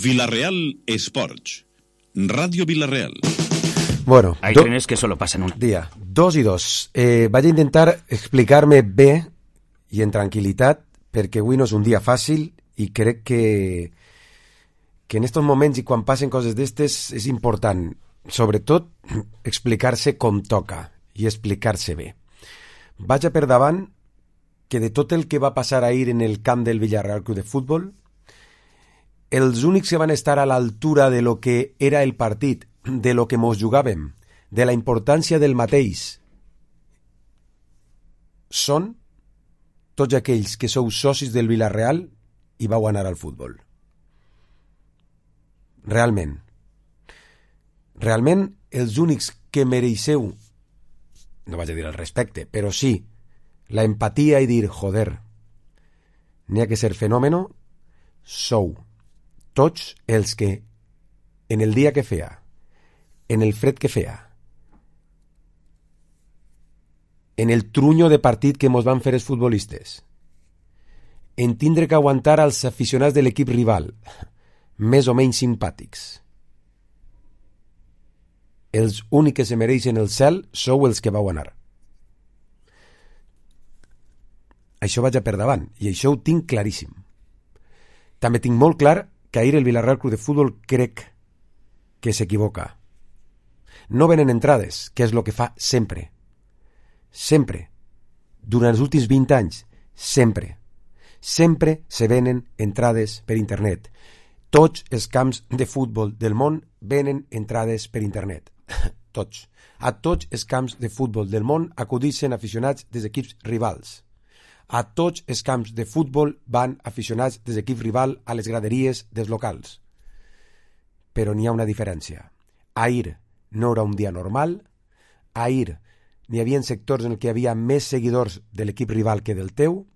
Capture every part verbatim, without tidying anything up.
Villarreal Sports. Radio Villarreal. Bueno, hay do... trenes que solo pasan un día. Dos i dos. Eh, vaig a intentar explicar-me bé i en tranquil·litat, perquè avui no és un dia fàcil i crec que que en estos moments i quan passen coses d'estes és important, sobretot, explicar-se com toca i explicar-se bé. Vaig a per davant que de tot el que va passar ahir en el camp del Villarreal Club de Futbol, els únics que van estar a l'altura de lo que era el partit, de lo que mos jugàvem, de la importància del mateix, són tots aquells que sou socis del Villarreal i vau anar al futbol. Realment. Realment, els únics que mereixeu, no vaig a dir el respecte, però sí, la empatia i dir, joder, n'hi ha que ser fenòmeno, sou tots els que en el dia que feia, en el fred que feia, en el trunyo de partit que mos van fer els futbolistes, en tindre que aguantar als aficionats de l'equip rival, més o menys simpàtics. Els únics que se mereixen el cel sou els que vau anar. Això vaig a per davant, i això ho tinc claríssim. També tinc molt clar que ahir el Villarreal Club de Futbol crec que s'equivoca. No venen entrades, que és el que fa sempre. Sempre. Durant els últims vint anys, sempre. Sempre se venen entrades per internet. Tots els camps de futbol del món venen entrades per internet. Tots. A tots els camps de futbol del món acudixen aficionats dels equips rivals. A tots els camps de futbol van aficionats dels equips rival a les graderies dels locals. Però n'hi ha una diferència. Ahir no era un dia normal. Ahir n'hi havia sectors en què hi havia més seguidors de l'equip rival que del teu.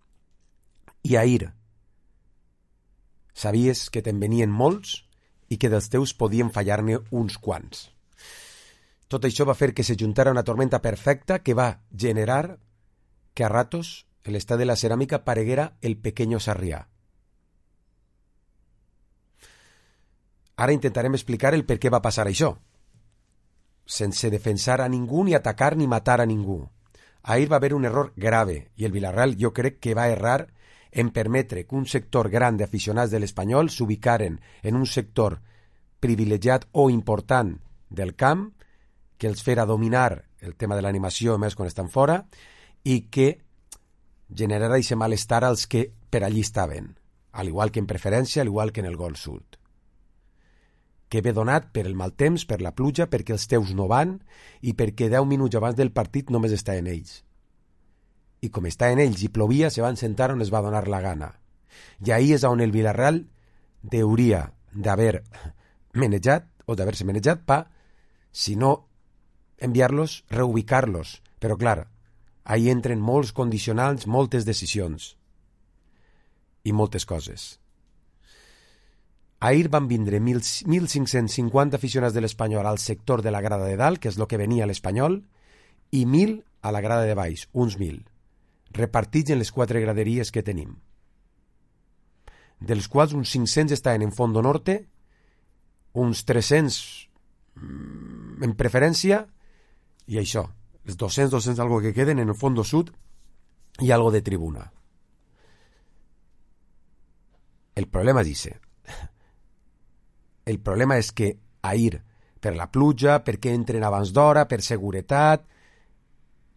I ahir sabies que te'n venien molts i que dels teus podien fallar-ne uns quants. Tot això va fer que se juntara una tormenta perfecta que va generar que a ratos el estadi de la Ceràmica pareguera el Pequeño Sarrià. Ara intentarem explicar el per què va passar això, sense defensar a ningú, ni atacar ni matar a ningú. Ahir va haver un error grave i el Villarreal jo crec que va errar en permetre que un sector gran d'aficionats de l'Espanyol s'ubicaren en un sector privilegiat o important del camp, que els fera dominar el tema de l'animació més quan estan fora i que generarà aquest malestar als que per allí estaven, al igual que en preferència, al igual que en el gol sud. Que ve donat per el mal temps, per la pluja, perquè els teus no van i perquè deu minuts abans del partit només estaven ells. I com estaven ells i plovia, se van sentar on es va donar la gana. I ahí és on el Villarreal hauria d'haver menejat, o d'haver-se menejat pa, si no enviar-los, reubicar-los. Però clar, ahí entren molts condicionants, moltes decisions i moltes coses. Ahir van vindre mil cinc-cents cinquanta aficionats de l'Espanyol al sector de la grada de dalt, que és el que venia a l'Espanyol, i mil a la grada de baix, uns mil, repartits en les quatre graderies que tenim, dels quals uns cinc-cents estaven en Fondo Norte, uns tres-cents en preferència, i això, els dos-cents, dos-cents algo que queden en el Fondo Sud i algo de tribuna. El problema és ese. El problema és que ahir, per la pluja, perquè entren abans d'hora, per seguretat,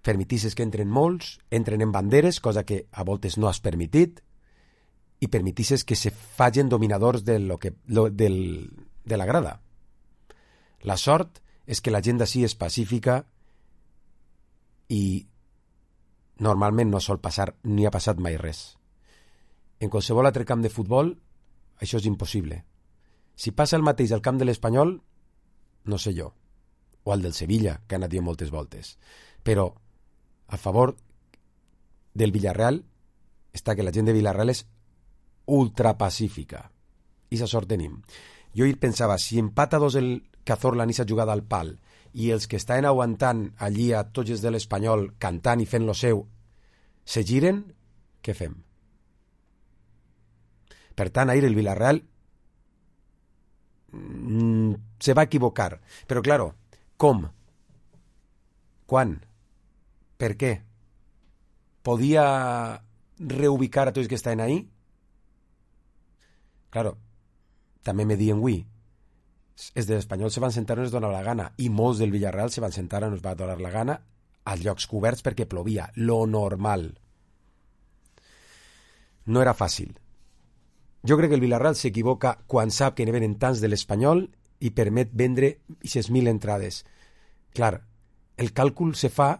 permetisses que entren molts, entren en banderes, cosa que a voltes no has permitit, i permetisses que se facin dominadors de, lo que, lo, del, de la grada. La sort és que la gent d'ací és pacífica i normalment no sol passar, ni ha passat mai res. En qualsevol altre camp de futbol, això és impossible. Si passa el mateix al camp de l'Espanyol, no sé jo, o al del Sevilla, que ha anat dient moltes voltes, però a favor del Villarreal està que la gent de Villarreal és ultrapacífica. I sa sort tenim. Jo hi pensava, si empata dos el Cazorla ni s'ha jugat al pal i els que estaven aguantant allí a tots els de l'Espanyol cantant i fent lo seu se giren, què fem? Per tant, ahir el Villarreal se va equivocar. Però, claro, com? Quan? Per què? Podia reubicar a tots que estaven ahí? Claro, també me diuen avui, els de l'Espanyol se van sentar on es donava la gana i molts del Villarreal se van sentar on es va donar la gana als llocs coberts perquè plovia, lo normal. No era fàcil. Jo crec que el Villarreal s'equivoca quan sap que ne venen tants de l'Espanyol i permet vendre sis mil entrades. Clar, el càlcul se fa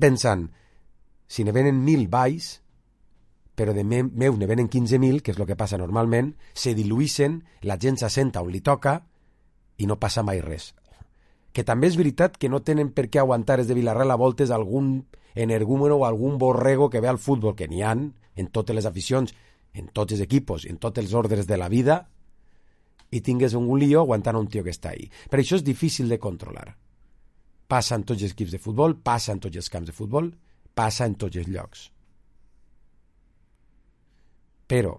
pensant, si ne venen mil baix, però de me meu ne venen quinze mil, que és el que passa normalment, se diluïssen, la gent s'assenta on li toca i no passa mai res. Que també és veritat que no tenen per què aguantar els de Villarreal a voltes algun energúmeno o algun borrego que ve al futbol, que n'hi ha en totes les aficions, en tots els equipos, en tots els ordres de la vida, i tingues un lío aguantant un tio que està ahí. Per això és difícil de controlar. Passa en tots els equips de futbol, passa en tots els camps de futbol, passa en tots els llocs. Però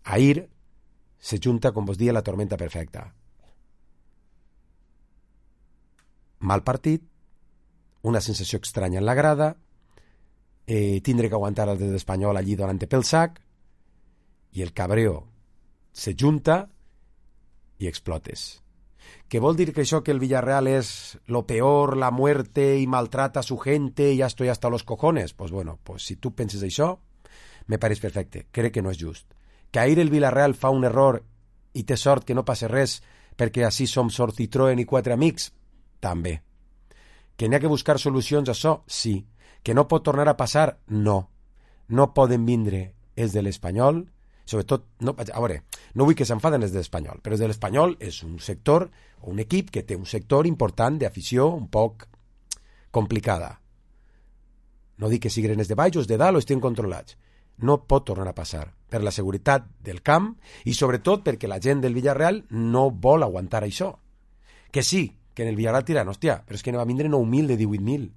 ahir se junta, com vos dia, la tormenta perfecta. Mal partit, una sensació estranya en la grada, eh, tindre que aguantar el de l'Espanyol allí donant-te pel sac, i el cabreo se junta i explotes. ¿Qué vol dir que això que el Villarreal es lo peor, la muerte y maltrata a su gente y ya estoy hasta los cojones? Pues bueno, pues si tu penses això, me pareix perfecte. Crec que no és just. Que ahir el Villarreal fa un error i té sort que no passe res perquè així som sort Citroën i quatre amics? També. Que n'hi ha que buscar solucions a això? Sí. Que no pot tornar a passar? No. No poden vindre els de l'Espanyol, sobretot, no, a veure, no vull que s'enfaden els de l'Espanyol, però els de l'Espanyol és un sector, o un equip que té un sector important d'afició un poc complicada. No dic que siguin els de baix o els de dalt o estiguin controlats. No pot tornar a passar per la seguretat del camp i sobretot perquè la gent del Villarreal no vol aguantar això. Que sí, que en el Villarreal tiran, hòstia, però és que ne va vindre nou mil de divuit mil.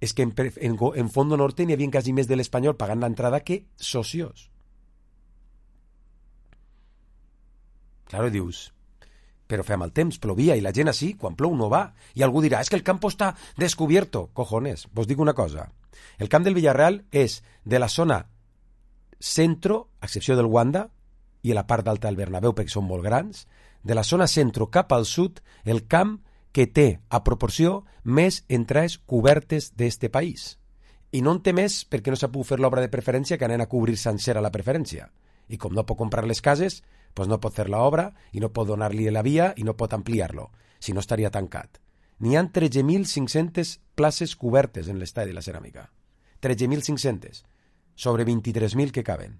És que en, en, en Fondo Norte n'hi havia quasi més de l'Espanyol pagant l'entrada que socios. Claro, dius, però fem el temps, plovia, i la gent així, quan plou no va. I algú dirà, és que el campo està descubierto. Cojones, vos dic una cosa. El camp del Villarreal és de la zona centro, a excepció del Wanda, i a la part d'alta del Bernabéu, perquè són molt grans, de la zona centro cap al sud, el camp que té, a proporció, més entrades cobertes d'este país. I no en té més perquè no s'ha pogut fer l'obra de preferència que anen a cobrir sencera la preferència. I com no pot comprar les cases, doncs no pot fer l'obra i no pot donar-li la via i no pot ampliar-lo, si no estaria tancat. N'hi ha tretze mil cinc-centes places cobertes en l'estadi de la Ceràmica. tretze mil cinc-centes, sobre vint-i-tres mil que caben.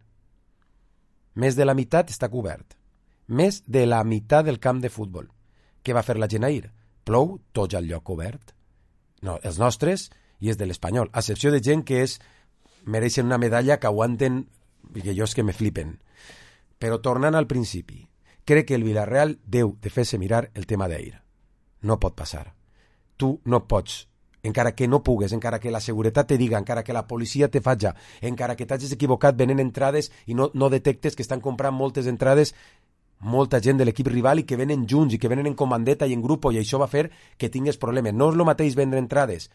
Més de la meitat està cobert. Més de la meitat del camp de futbol. Què va fer la gent ahir? Plou, tots al lloc obert. No, els nostres i els de l'Espanyol, a excepció de gent que és, mereixen una medalla que aguanten, que jo és que me flipen. Però tornant al principi, crec que el Villarreal deu de fer-se mirar el tema d'ahir. No pot passar. Tu no pots, encara que no pugues, encara que la seguretat te diga, encara que la policia te faja, encara que t'hagis equivocat venent entrades i no, no detectes que estan comprant moltes entrades molta gent de l'equip rival i que venen junts i que venen en comandeta i en grup i això va fer que tingues problemes. No és el mateix vendre entrades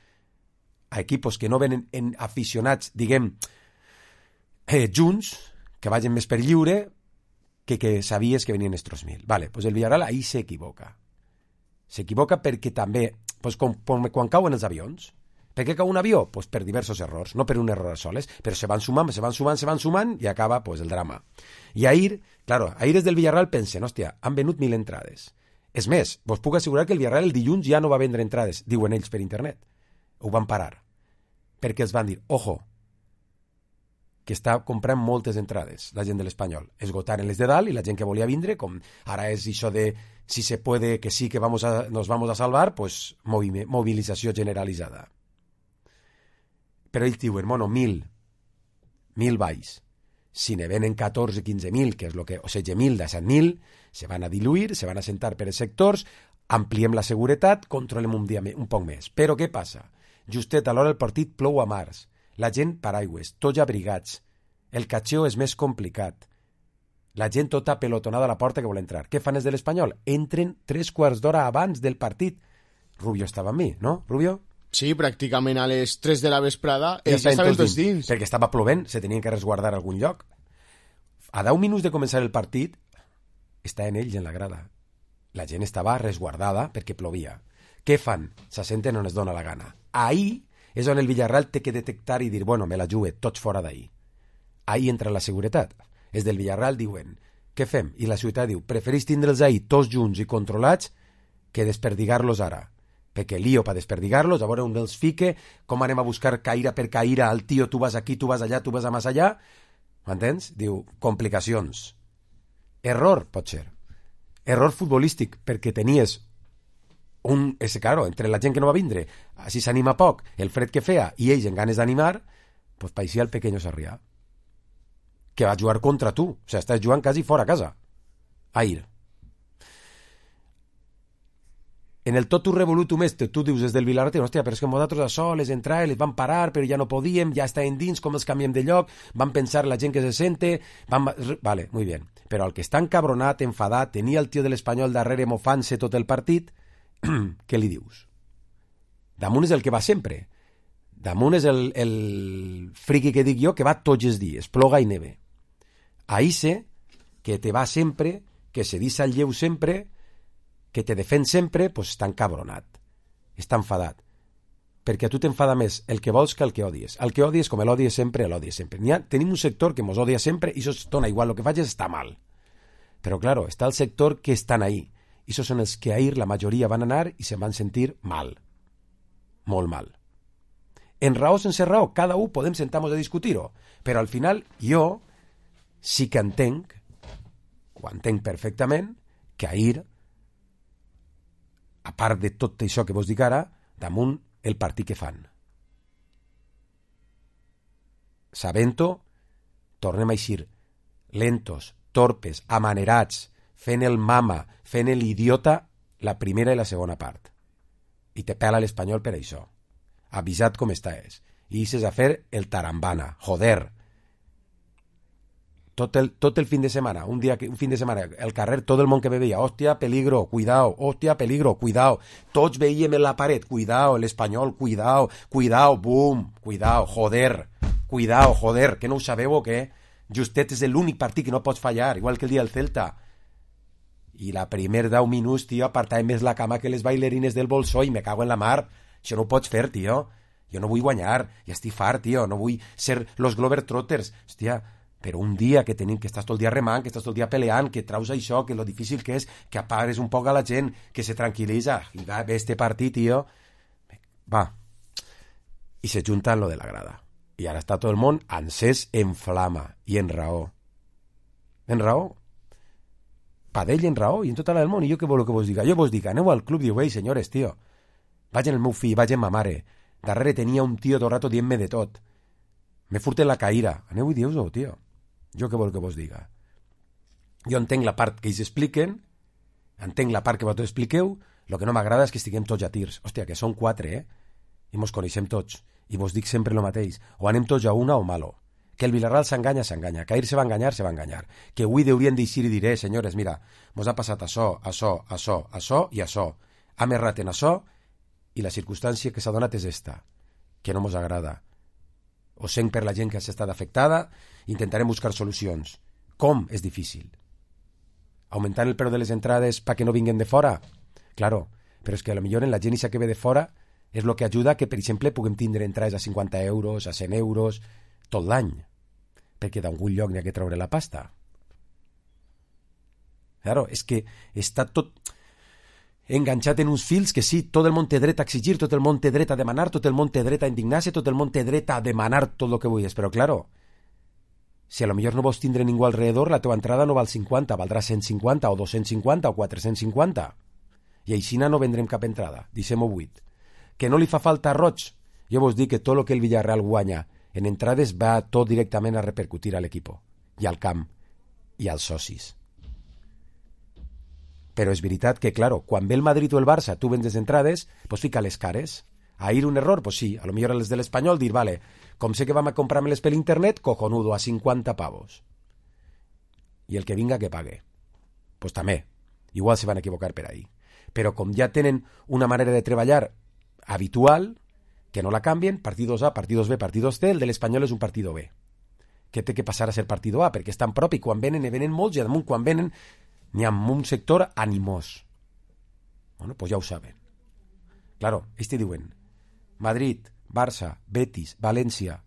a equipos que no venen en aficionats, diguem, eh, junts, que vagin més per lliure, que, que sabies que venien estos mil. Vale, pues el Villarreal ahí s'equivoca. S'equivoca perquè també, pues, com, com, quan cauen els avions, per què cau un avió? Pues per diversos errors, no per un error a soles, però se van sumant, se van sumant, se van sumant i acaba pues, el drama. I ahir, claro, ahir des del Villarreal pensen, hòstia, han venut mil entrades. És més, vos puc assegurar que el Villarreal el dilluns ja no va vendre entrades, diuen ells per internet. Ho van parar. Perquè els van dir, ojo, que està comprant moltes entrades, la gent de l'Espanyol. Esgotaren les de dalt i la gent que volia vindre, com ara és això de si se puede, que sí, que vamos a, nos vamos a salvar, pues movilizació generalitzada. Però ells diuen, bueno, mil, mil baix. Si ne venen catorze quinze mil, que és lo que, o setze mil de set mil, se van a diluir, se van a sentar per els sectors, ampliem la seguretat, controlem un, dia, un poc més. Però què passa? Justet a l'hora del partit plou a març. La gent paraigües, tots abrigats. El catxeo és més complicat. La gent tota pelotonada a la porta que vol entrar. Què fan els de l'Espanyol? Entren tres quarts d'hora abans del partit. Rubio estava amb mi, no, Rubio? Sí, pràcticament a les tres de la vesprada ja ells ja estaven tots dins. dins. Perquè estava plovent, se tenien que resguardar a algun lloc. A deu minuts de començar el partit, estaven ells en la grada. La gent estava resguardada perquè plovia. Què fan? S'assenten on es dona la gana. Ahí és on el Villarreal té que detectar i dir, bueno, me la jugue, tots fora d'ahí. Ahí entra la seguretat. Els del Villarreal diuen, què fem? I la ciutat diu, preferís tindre'ls ahí tots junts i controlats que desperdigar-los ara. Perquè lío per desperdigar-los, a veure on els fique, com anem a buscar caïra per caïra al tio, tu vas aquí, tu vas allà, tu vas a més allà. M'entens? Diu, complicacions. Error, pot ser. Error futbolístic, perquè tenies un... És claro, entre la gent que no va vindre, així s'anima poc, el fred que feia, i ells en ganes d'animar, pues paeixia el pequeño Sarrià, que va jugar contra tu. O sigui, estàs jugant quasi fora a casa. Ahir. En el totu revolutum este, tu dius des del Vilarretí, hòstia, però és que nosaltres a sol les entrades les van parar, però ja no podíem, ja estaven dins, com els canviem de lloc, van pensar la gent que se sente, van... Vale, muy bien. Però el que està encabronat, enfadat, tenia el tio de l'Espanyol darrere mofant-se tot el partit, què li dius? Damunt és el que va sempre. Damunt és el, el friqui que dic jo, que va tots els dies, ploga i neve. Ahí sé que te va sempre, que se dissa al lleu sempre, que te defèn sempre, pues està encabronat, està enfadat. Perquè a tu t'enfada més el que vols que el que odies. El que odies, com l'odies sempre, l'odies sempre. Ha, tenim un sector que mos odia sempre i això es dona igual, el que facis està mal. Però, claro, està el sector que estan ahí. I això són els que ahir la majoria van anar i se'n van sentir mal. Molt mal. En raó sense raó, cada un podem sentar-nos a discutir-ho. Però al final jo sí que entenc, ho entenc perfectament, que ahir, a part de tot això que vos dic ara, damunt el partit que fan. Sabent-ho, tornem a eixir lentos, torpes, amanerats, fent el mama, fent l'idiota la primera i la segona part. I te pela l'Espanyol per això. Avisat com està és. I ixes a fer el tarambana. Joder. Tot el, tot el fin de semana, un dia, un fin de semana, el carrer, tot el món que me veia, hòstia, peligro, cuidao, hòstia, peligro, cuidao, tots veiem en la paret, cuidao, l'Espanyol, cuidao, cuidao, boom, cuidao, joder, cuidao, joder, que no ho sabeu o què? Justet és l'únic partit que no pots fallar, igual que el dia del Celta. I la primer deu minuts, tio, apartàvem més la cama que les bailarines del Bolsó i me cago en la mar. Això no ho pots fer, tio. Jo no vull guanyar, ja estic fart, tio, no vull ser los Globetrotters, hòstia. Però un dia que tenim, que estàs tot el dia remant, que estàs tot el dia peleant, que traus això, que lo difícil que és, que apagues un poc a la gent, que se tranquil·litza, i va, ve este partit, tio, va, i se junta en lo de la grada. I ara està tot el món encès en flama, i en raó. En raó. Pa d'ell en raó, i en tota la del món. I jo què vol que vos diga? Jo vos dic, aneu al club, diu, ei, senyores, tio, vaig en el meu fill, vaig en ma mare, darrere tenia un tio tot rato dient-me de tot, me furten la caïra, aneu i dius-ho, tio. Jo què vol que vos diga? Jo entenc la part que ells expliquen, entenc la part que vosaltres expliqueu, el que no m'agrada és que estiguem tots a tirs. Hòstia, que són quatre, eh? I mos coneixem tots. I vos dic sempre el mateix. O anem tots a una o malo. Que el Villarreal s'enganya, s'enganya. Que ahir se va enganyar, se va enganyar. Que avui haurien d'eixir i diré, senyores, mira, mos ha passat això, això, això, això i això. Hem errat en això i la circumstància que s'ha donat és esta, que no mos agrada. Ho sent per la gent que s'ha estat afectada, intentarem buscar solucions. Com? És difícil. Augmentant el preu de les entrades perquè no vinguen de fora? Claro, però és que a lo millor en la gent ixa que ve de fora és el que ajuda que, per exemple, puguem tindre entrades a cinquanta euros, a cent euros, tot l'any. Perquè d'algun lloc n'hi ha que treure la pasta. Claro, és que està tot enganxat en uns fils que sí, tot el món té dret a exigir, tot el món té dret a demanar, tot el món té dret a indignar-se, tot el món té dret a demanar tot el que vulguis, però claro, si a lo millor no vols tindre ningú alrededor, la teva entrada no val cinquanta, valdrà cent cinquanta o dos-cents cinquanta o quatre-cents cinquanta, i aixina no vendrem cap entrada, deixem-ho buit. Que no li fa falta roig? Jo vos dic que tot el que el Villarreal guanya en entrades va tot directament a repercutir a l'equip, i al camp, i als socis. Però és veritat que, claro, quan ve el Madrid o el Barça, tu vendes entrades, pues fica les cares. Ahir un error, pues sí, a lo millor els de l'Espanyol dir, vale, com sé que vam a comprar-me-les per internet, cojonudo, a cinquanta pavos. i el que vinga que pague. Doncs pues també, igual se van equivocar per ahí. Però com ja tenen una manera de treballar habitual, que no la canvien, partidos A, partidos B, partidos C, el de l'Espanyol és un partido B. Que té que passar a ser partido A, perquè és tan propi, quan venen, i venen molts, i damunt quan venen n'hi ha un sector animós. Bueno, pues ja ho saben. Claro, ells te diuen Madrid, Barça, Betis, València,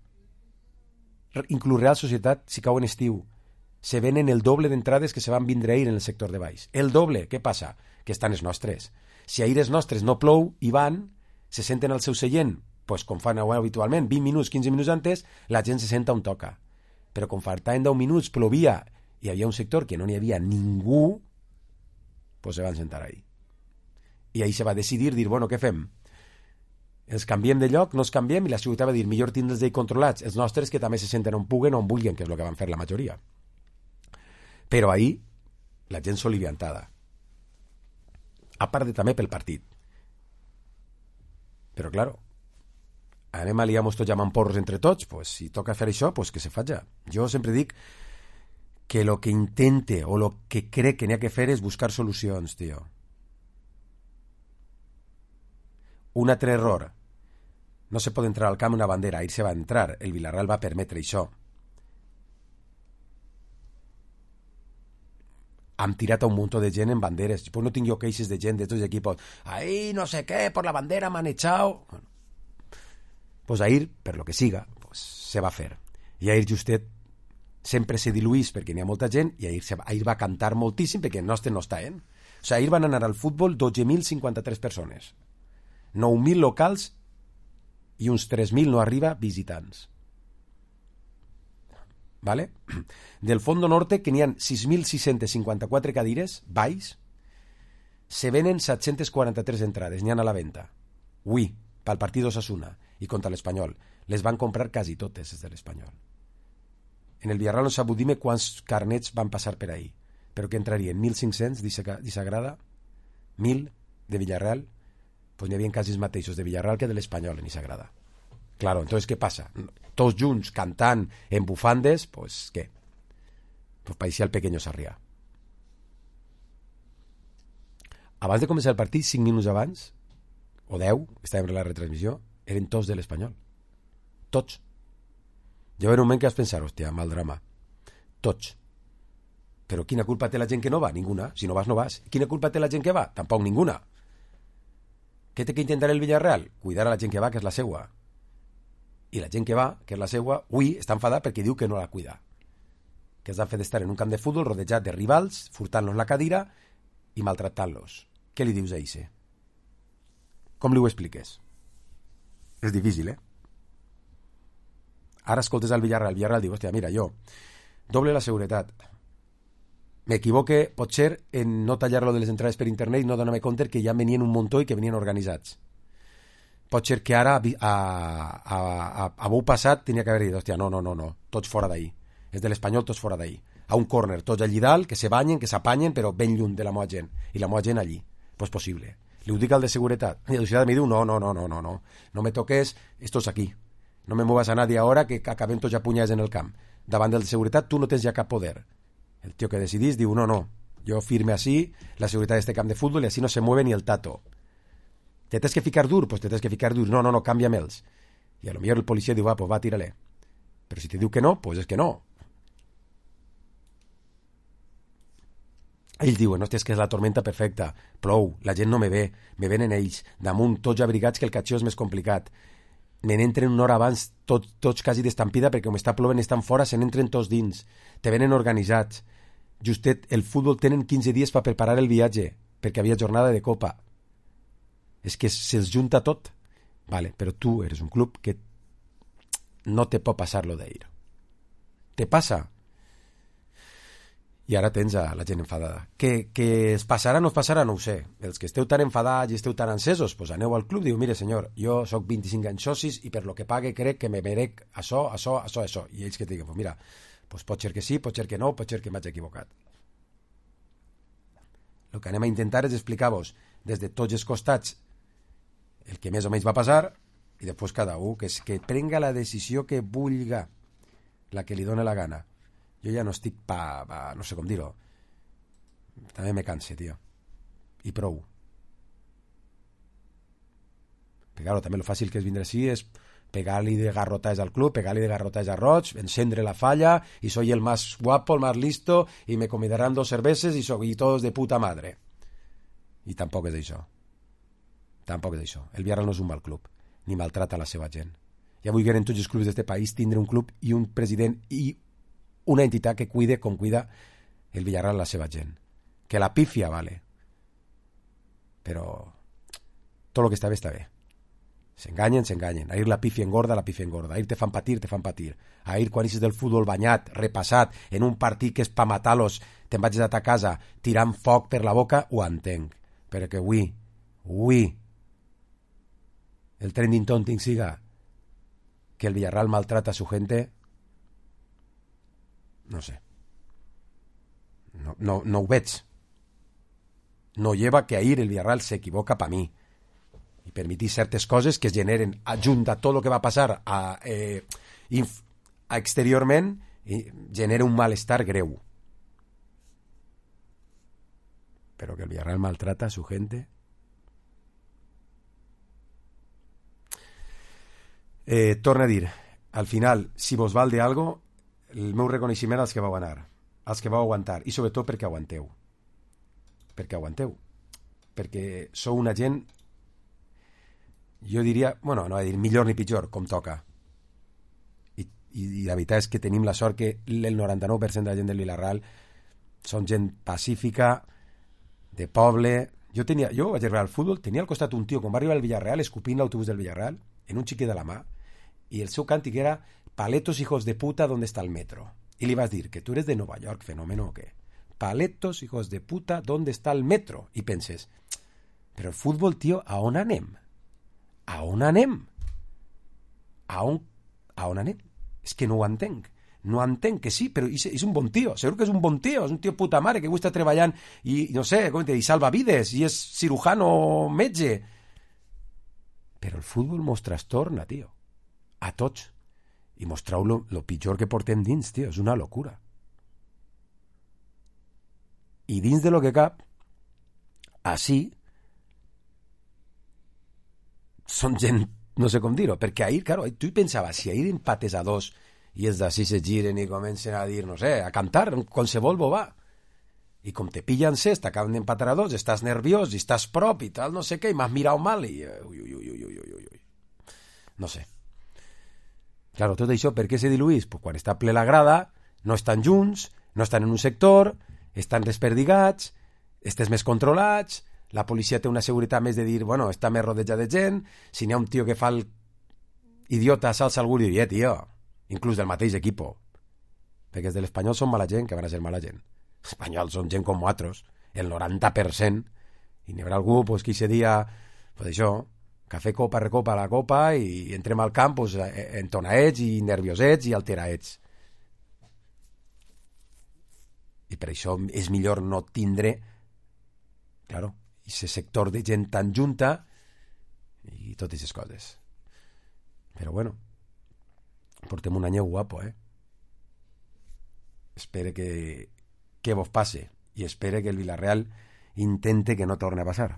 inclús Real Societat, si cau en estiu, se venen el doble d'entrades que se van vindre ahir en el sector de baix. El doble. Què passa? Que estan els nostres. Si ahir els nostres no plou i van, se senten al seu seient, pues com fan habitualment, vint minuts, quinze minuts antes, la gent se senta on toca. Però com faltaven deu minuts, plovia, i hi havia un sector que no n'hi havia ningú, pues se van sentar ahí. I ahí se va decidir, dir, bueno, què fem? Els canviem de lloc, no els canviem, i la ciutat va dir, millor tindre'ls d'ahir controlats, els nostres que també se senten on puguen o on vulguin, que és el que van fer la majoria. Però ahir la gent s'oliviantada. A part de també pel partit. Però, claro, anem a liar-nos tots llamant porros entre tots, pues, si toca fer això, pues que se faja. Jo sempre dic que lo que intente o lo que crec que n'hi ha que fer és buscar solucions, tio. Un altre error. No se pot entrar al camp una bandera, ahir se va entrar, el Villarreal va permetre això. Han tirat a un muntó de gent en banderes. Pues no tinc jo queixes de gent de tots els equipos. Ahí no sé què, por la bandera m'han echado. Bueno, pues ahir, per lo que siga, pues se va fer. I ahir justet sempre se diluís perquè n'hi ha molta gent i ahir, se va, ahir va cantar moltíssim perquè el nostre no està, eh? O sigui, ahir van anar al futbol dotze mil cinquanta-tres persones. nou mil locals i uns tres mil no arriba visitants. ¿Vale? Del Fondo Norte, que n'hi ha sis mil sis-centes cinquanta-quatre cadires, baix, se venen set-centes quaranta-tres entrades, n'hi ha a la venda. Ui, pel partit d'Osasuna i contra l'Espanyol. Les van comprar quasi totes, des de l'Espanyol. En el Villarreal no sabut dir-me quants carnets van passar per ahí, però que entrarien mil cinc-cents d'Isagrada, mil de Villarreal, pues n'hi havia quasi els mateixos de Villarreal que de l'Espanyol en Isagrada. Claro, entonces, ¿qué pasa? Tots junts cantant en bufandes, pues, ¿qué? Pues parecía el pequeño Sarrià. Abans de començar el partit, cinc minuts abans, o deu, estàvem en la retransmissió, eren tots de l'Espanyol. Tots. Jo en un moment que vas pensar, hòstia, mal drama. Tots. Però quina culpa té la gent que no va? Ninguna. Si no vas, no vas. Quina culpa té la gent que va? Tampoc ninguna. Què té que intentar el Villarreal? Cuidar a la gent que va, que és la seua. I la gent que va, que és la seua, ui, està enfadada perquè diu que no la cuida. Que és el fet d'estar en un camp de futbol rodejat de rivals, furtant-los la cadira i maltractant-los. Què li dius a Ise? Com li ho expliques? És difícil, eh? Ara escoltes al Villarreal, el Villarreal diu, hòstia, mira, jo, doble la seguretat. M'equivoque, potser, en no tallar-lo de les entrades per internet i no donar-me compte que ja venien un muntó i que venien organitzats. Pot ser que ara, a, a, a, a bou passat, tenia que haver dit, hòstia, no, no, no, no, tots fora d'ahir. És de l'Espanyol, tots fora d'ahir. A un córner, tots allí dalt, que se banyen, que s'apanyen, però ben lluny de la meva gent. I la meva gent allí. Pues possible. Li ho dic al de seguretat. I el de seguretat me diu, no, no, no, no, no, no. No me toques, estos aquí. No me muevas a nadie ahora que acabem tots a punyades en el camp. Davant del de seguretat tu no tens ja cap poder. El tio que decidís diu, no, no, jo firme així, la seguretat d'este camp de futbol i així no se mueve ni el tato. Te tens que ficar dur? Pues te tens que ficar dur. No, no, no, canvia'm-els. I a lo millor el policia diu, va, pues va, tira-le. Però si te diu que no, pues és que no. Ells diuen, hòstia, és que és la tormenta perfecta, plou, la gent no me ve, me venen ells, damunt tots abrigats que el catxó és més complicat. Me n'entren una hora abans, tot, tots quasi d'estampida, perquè com està plovent estan fora, se n'entren tots dins. Te venen organitzats. Justet, el futbol tenen quinze dies per preparar el viatge, perquè havia jornada de Copa. És que se'ls junta tot. Vale, però tu eres un club que no te pot passar lo d'ahir. Te passa. I ara tens a la gent enfadada. Que, que es passarà o no es passarà, no ho sé. Els que esteu tan enfadats i esteu tan encesos, pues aneu al club i diu, mire senyor, jo soc vint-i-cinc anys socis i per lo que pague crec que me merec això, això, això, això. I ells que et diguen, pues mira, pues pot ser que sí, pot ser que no, pot ser que m'haig equivocat. El que anem a intentar és explicar-vos des de tots els costats el que més o menys va passar i després cada un que, que prenga la decisió que vulga, la que li dóna la gana. Jo ja no estic pa, pa no sé com dir-ho. També me canse, tio. I prou. Perquè, claro, també lo fàcil que és vindre així és pegar-li de garrotajes al club, pegar-li de garrotajes a Roig, encendre la falla, y soy el más guapo, el más listo, y me convidarán dos cerveses y, so, y todos de puta madre. I tampoc és això. Tampoc és això. El Villarreal no és un mal club, ni maltrata la seva gent. Ja vull que en tots els clubs d'aquest país tindre un club i un president i una entitat que cuide com cuida el Villarreal la seva gent. Que la pifia, vale. Però tot el que està bé, està bé. S'enganyen, s'enganyen. Ahir la pifia engorda, la pifia engorda. Ahir te fan patir, te fan patir. Ahir quan eixes del futbol banyat, repassat, en un partit que és pa matar-los, te'n vaig a ta casa tirant foc per la boca, ho entenc. Però que avui, avui, el trending topic siga que el Villarreal maltrata a su gente, no sé. No, no, no ho veig. No lleva que ahir el Villarreal s'equivoca pa mi. I permetir certes coses que es generen adjunt a tot el que va passar a, eh, inf, a exteriorment i genera un malestar greu. Però que el Villarreal maltrata a su gente. Eh, torna a dir, al final, si vos val de algo, el meu reconeixement als que vau anar, als que vau aguantar, i sobretot perquè aguanteu. Perquè aguanteu. Perquè sou una gent, jo diria, bueno, no va dir millor ni pitjor, com toca. I, i, i la veritat és que tenim la sort que el noranta-nou per cent de la gent del Villarreal són gent pacífica, de poble. Jo tenia, jo vaig arribar al futbol, tenia al costat un tio, quan va arribar al Villarreal, escupint l'autobús del Villarreal, en un xiquet de la mà, i el seu càntic era «Paletos, hijos de puta, ¿dónde está el metro?» I li vas dir que tu eres de Nova York, fenómeno o què? «Paletos, hijos de puta, ¿dónde está el metro?» I penses, però el futbol, tio, a on anem? A on anem? A on, a on anem? És que no ho entenc. No entenc que sí, però és, és un bon tio. Segur que és un bon tio. És un tio puta mare que avui està treballant i, no sé, com te dic, salva vides i és cirujano metge. Però el futbol mos trastorna, tio. A tots. I mostrau lo, lo pitjor que portem dins, tio. És una locura. I dins de lo que cap, així, són gent, no sé com dir-ho, perquè ahir, claro, tu hi pensaves, si ahir empates a dos i els d'ací se giren i comencen a dir, no sé, a cantar, qualsevol bobà, i com te pillen ses, t'acaben d'empatar a dos, estàs nerviós i estàs prop i tal, no sé què, i m'has mirat mal i... Ui, ui, ui, ui, ui, ui, ui. No sé. Claro, tot això per què se diluís? Pues quan està ple la grada, no estan junts, no estan en un sector, estan desperdigats, estes més controlats, la policia té una seguretat més de dir, bueno, està més rodejat de gent, si n'hi ha un tio que fa el idiota, s'alça algú i diu, eh, tio, inclús del mateix equipo, perquè els de l'Espanyol són mala gent, que van a ser mala gent. Els espanyols són gent com nosaltres, el noranta per cent, i n'hi haurà algú pues, que aquest dia, pues això, cafè copa, recopa la copa, i entrem al camp pues, entonaets i nerviosets i alteraets. I per això és millor no tindre, claro, aquest sector de gent tan junta i totes aquestes coses. Però bueno, portem un any guapo, eh? Espere que, que vos passe i espere que el Villarreal intente que no torni a passar.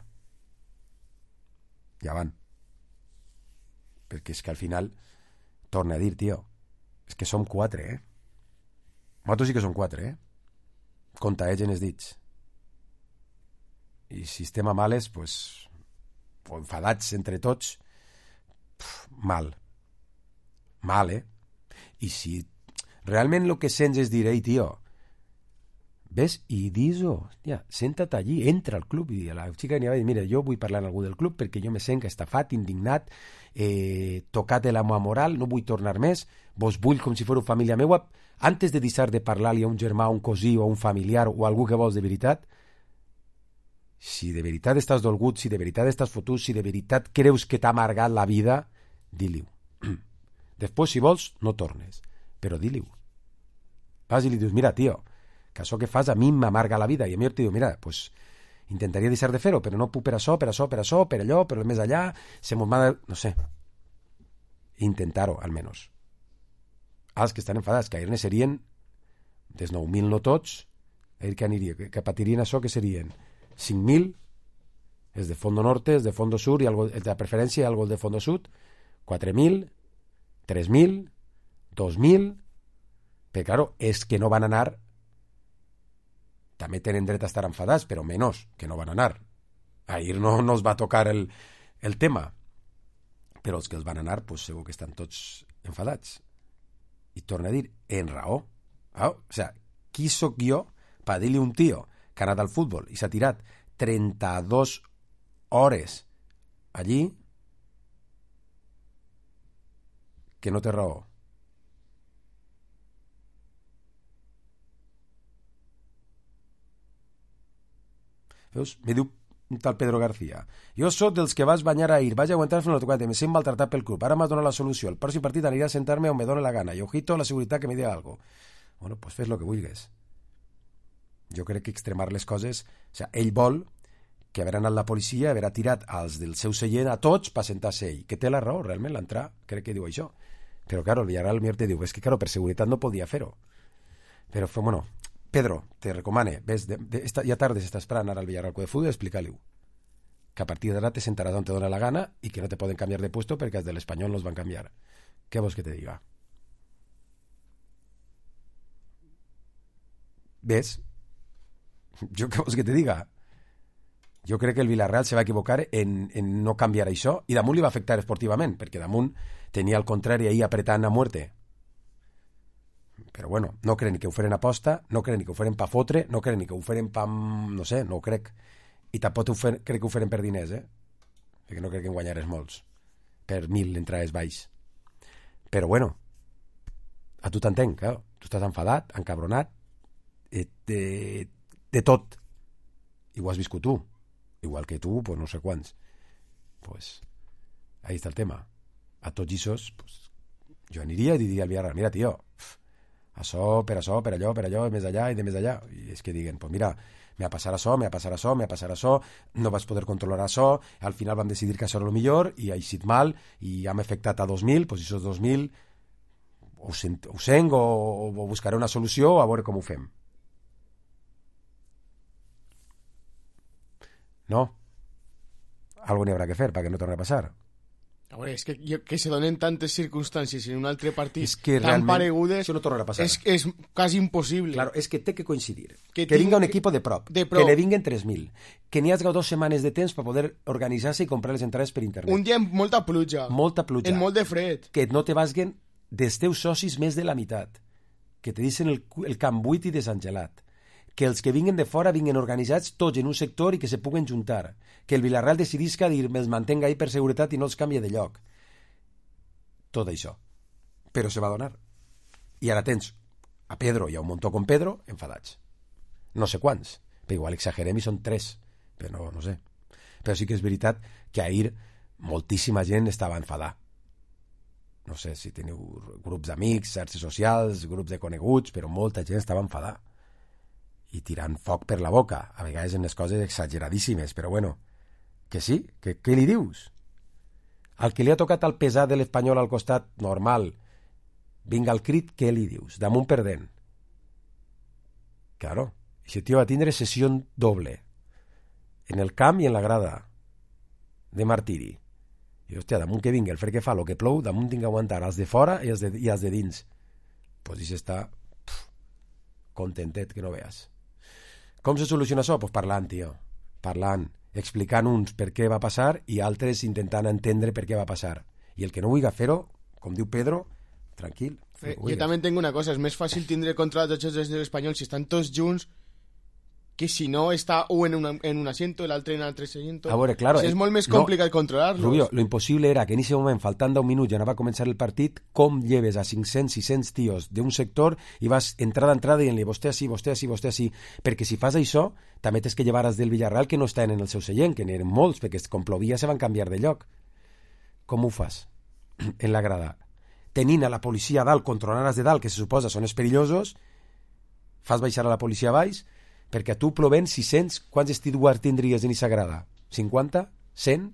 Ja van. Perquè és que al final, torna a dir, tio, és que som quatre, eh? Nosaltres sí que som quatre, eh? Compta, eh, gent els dits. I si estem a males, pues, o enfadats entre tots, pf, mal. Mal, eh? I si realment el que sents és dir, ei, tio, ves i dis-ho, ja, senta't allí, entra al club, i a la xica n'hi va dir, mira, jo vull parlar amb algú del club perquè jo me sent estafat, indignat, eh, tocat de la meva moral, no vull tornar més, vos vull com si fos família meua, antes de deixar de parlar-li a un germà, un cosí o un familiar o algú que vols de veritat, si de veritat estàs dolgut, si de veritat estàs fotut, si de veritat creus que t'ha amargat la vida, di-li-ho. Després, si vols, no tornes, però di-li-ho. Vas i li dius, mira, tio, que això que fas a mi m'amarga la vida, i a mi te diu, mira, pues, intentaria deixar de fer-ho, però no puc per això, per això, per això, per allò, per més allà, se mos m'ha de... no sé. Intentar-ho, almenys. Els que estan enfadats, que ahir ne serien Des nou mil no tots, ell que aniria, que, que patirien això, que serien cinc mil, els de Fondo Norte, els de Fondo Sur, i algo, els de preferència i algo de Fondo Sud, quatre mil, tres mil, dos mil, però, claro, és que no van anar, també tenen dret a estar enfadats, però menys, que no van anar. Ahir no, no els va tocar el, el tema, però els que els van anar, pues, segur que estan tots enfadats. I torna a dir, en raó. Ah, o sea, qui sóc jo per dir-li a un tio que ha anat al futbol i s'ha tirat trenta-dues hores allí que no té raó? Veus? Me diu un tal Pedro García: jo sóc dels que vas banyar ahir, vaig aguantar fins al quaranta, me sent maltratat pel club, ara m'has donat la solució, el pròxim partit aniré a sentar-me on me dóna la gana i ojito la seguretat que me diga algo. Bueno, pues fes lo que vulguis. Jo crec que extremar les coses, o sea, ell vol que haver anat la policia, haver tirat als del seu seient a tots per sentar-se ell, que té la raó, realment l'entrar, crec que diu això. Però, claro, el Villarreal millor te diu, és que, claro, per seguretat no podia fer-ho. Però, bueno, Pedro, te recomane, ves, de, de, esta, ja tardes estàs esperant anar al Villarreal de Fútbol, explica-li-ho. Que a partir d'ara te sentaràs on te dona la gana i que no te poden canviar de puesto perquè els de l'Espanyol no els van canviar. Què vols que te diga? ¿Ves? Jo què vols que te diga? Jo crec que el Villarreal se va equivocar en, en no canviar això, i damunt li va afectar esportivament, perquè damunt tenia al contrari ahí apretant a muerte. Però bueno, no crec ni que ho feren aposta, no crec ni que ho feren pa fotre, no crec ni que ho feren pa... no sé, no ho crec. I tampoc ho fer, crec que ho feren per diners, eh? Perquè no crec que en guanyares molts. Per mil entrades baix. Però bueno, a tu t'entenc, claro. Tu estàs enfadat, encabronat, de, de, de tot. I ho has viscut tu. Igual que tu, pues no sé quants. Pues ahí està el tema. A tots aquests, pues, jo aniria i diria al Villarreal, mira, tio, això, per això, per allò, per allò, més allà i de més allà. I és que diguen, pues mira, me va passar això, me va passar això, me va passar això, no vas poder controlar això, al final vam decidir que això era el millor i ha eixit mal i hem afectat a dos mil, pues aquests dos mil ho, sent, ho sent o, o buscaré una solució a veure com ho fem. No? Algo n'hi haurà que fer perquè no torni a passar. A veure, és que, jo, que se donen tantes circumstàncies en un altre partit és que tan paregudes, això no tornarà a passar. És, és quasi impossible. Claro, és que té que coincidir. Que, que vinga un que, equip de prop, de prop, que ne vinguen tres mil, que n'hi hagi dues setmanes de temps per poder organitzar-se i comprar les entrades per internet. Un dia amb molta pluja. Molta pluja. En molt de fred. Que no te basguen dels teus socis més de la meitat. Que te deixen el, el camp buit i desangelat. Que els que vinguen de fora vinguen organitzats tots en un sector i que se puguen juntar. Que el Villarreal decidisca dir me'ls mantenga ahí per seguretat i no els canvia de lloc. Tot això. Però se va donar. I ara tens a Pedro i a un muntó com Pedro enfadats. No sé quants, però igual exagerem i són tres, però no, no sé. Però sí que és veritat que ahir moltíssima gent estava enfadada. No sé si teniu grups d'amics, xarxes socials, grups de coneguts, però molta gent estava enfadada. I tirant foc per la boca, a vegades en les coses exageradíssimes, però bueno, que sí, que què li dius? Al que li ha tocat el pesar de l'Espanyol al costat, normal, vinga el crit, què li dius? Damunt perdent. Claro, aquest tio va tindre sessió doble, en el camp i en la grada, de martiri. I, hòstia, damunt que vingui el fred que fa, el que plou, damunt tinc que aguantar els de fora i els de, i els de dins. Pues i s'està contentet que no veas. Com se soluciona això? Pues parlant, tio. Parlant, explicant uns per què va passar i altres intentant entendre per què va passar. I el que no vulgui fer-ho, com diu Pedro, tranquil. Eh, jo també entenc una cosa, és més fàcil tindre contra els jocs de l'Espanyol si estan tots junts que si no està un en, una, en un asiento, l'altre en l'altre asiento. A veure, claro, o sigui, és molt més no, complicat controlar-los. Rubio, lo impossible era que en aquest moment, faltant deu minuts, ja no va començar el partit, com lleves a cinc-cents, sis-cents tios d'un sector i vas entrada a entrada dient-li vostè així, vostè així, vostè així, perquè si fas això, també tens que llevar els del Villarreal que no estan en el seu seient, que n'eren molts, perquè com plovia se van canviar de lloc. Com ho fas? En la grada. Tenint a la policia a dalt, controlant els de dalt, que se suposa són els perillosos, fas baixar a la policia a baix, perquè a tu plovent sis-cents, quants stewards tindries en aquesta grada? cinquanta? cent?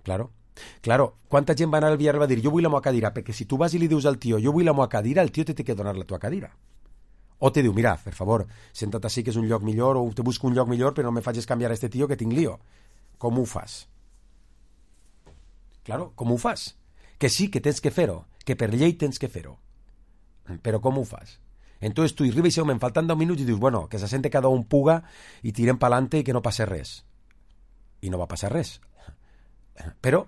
Claro. Claro, quanta gent va anar al Villarreal i va dir jo vull la meva cadira, perquè si tu vas i li dius al tio jo vull la meva cadira, el tio te té que donar la tua cadira. O te diu, mira, per favor, senta't així que és un lloc millor, o te busco un lloc millor però no me facis canviar a este tio que tinc lío. Com ho fas? Claro, com ho fas? Que sí, que tens que fer-ho, que per llei tens que fer-ho. Però com ho fas? Entonces tu arribes i me faltan deu minuts i dius, bueno, que se sente cada un puga i tirem pa'lante i que no passe res. I no va passar res. Però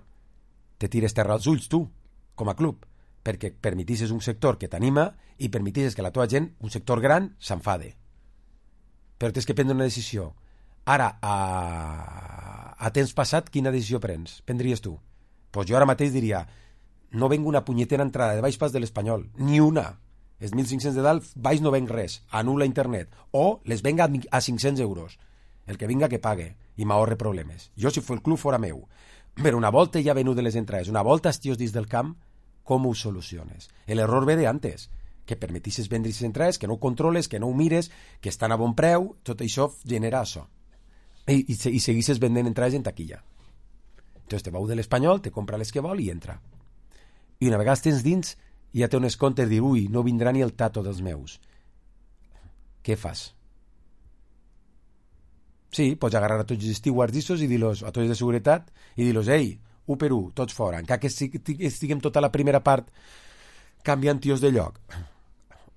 te tires terra als ulls tu, com a club, perquè permetisses un sector que t'anima i permetisses que la teva gent, un sector gran, s'enfade. Però tens que prendre una decisió. Ara, a, a temps passat, quina decisió prens? Prendries tu? Pues jo ara mateix diria, no vengo una punyetera entrada de baix pas de l'Espanyol, ni una. Els mil cinc-cents de dalt, baix no venc res, anul·la internet, o les venga a cinc-cents euros. El que vinga que pague i m'ahorre problemes. Jo, si fos el club, fora meu. Però una volta ja venut de les entrades, una volta els tios dins del camp, com ho soluciones? L'error ve de antes, que permetisses vendre les entrades, que no ho controles, que no ho mires, que estan a bon preu, tot això genera això. I, i, i seguisses vendent entrades en taquilla. Entonces te vau de l'Espanyol, te compra les que vol i entra. I una vegada tens dins, ja té unes comptes de dir, ui, no vindrà ni el tato dels meus. Què fas? Sí, pots agarrar a tots els stewards i dir-los, a tots de seguretat, i dir-los, ei, u per u, tots fora, encara que estiguem tota la primera part canviant tios de lloc.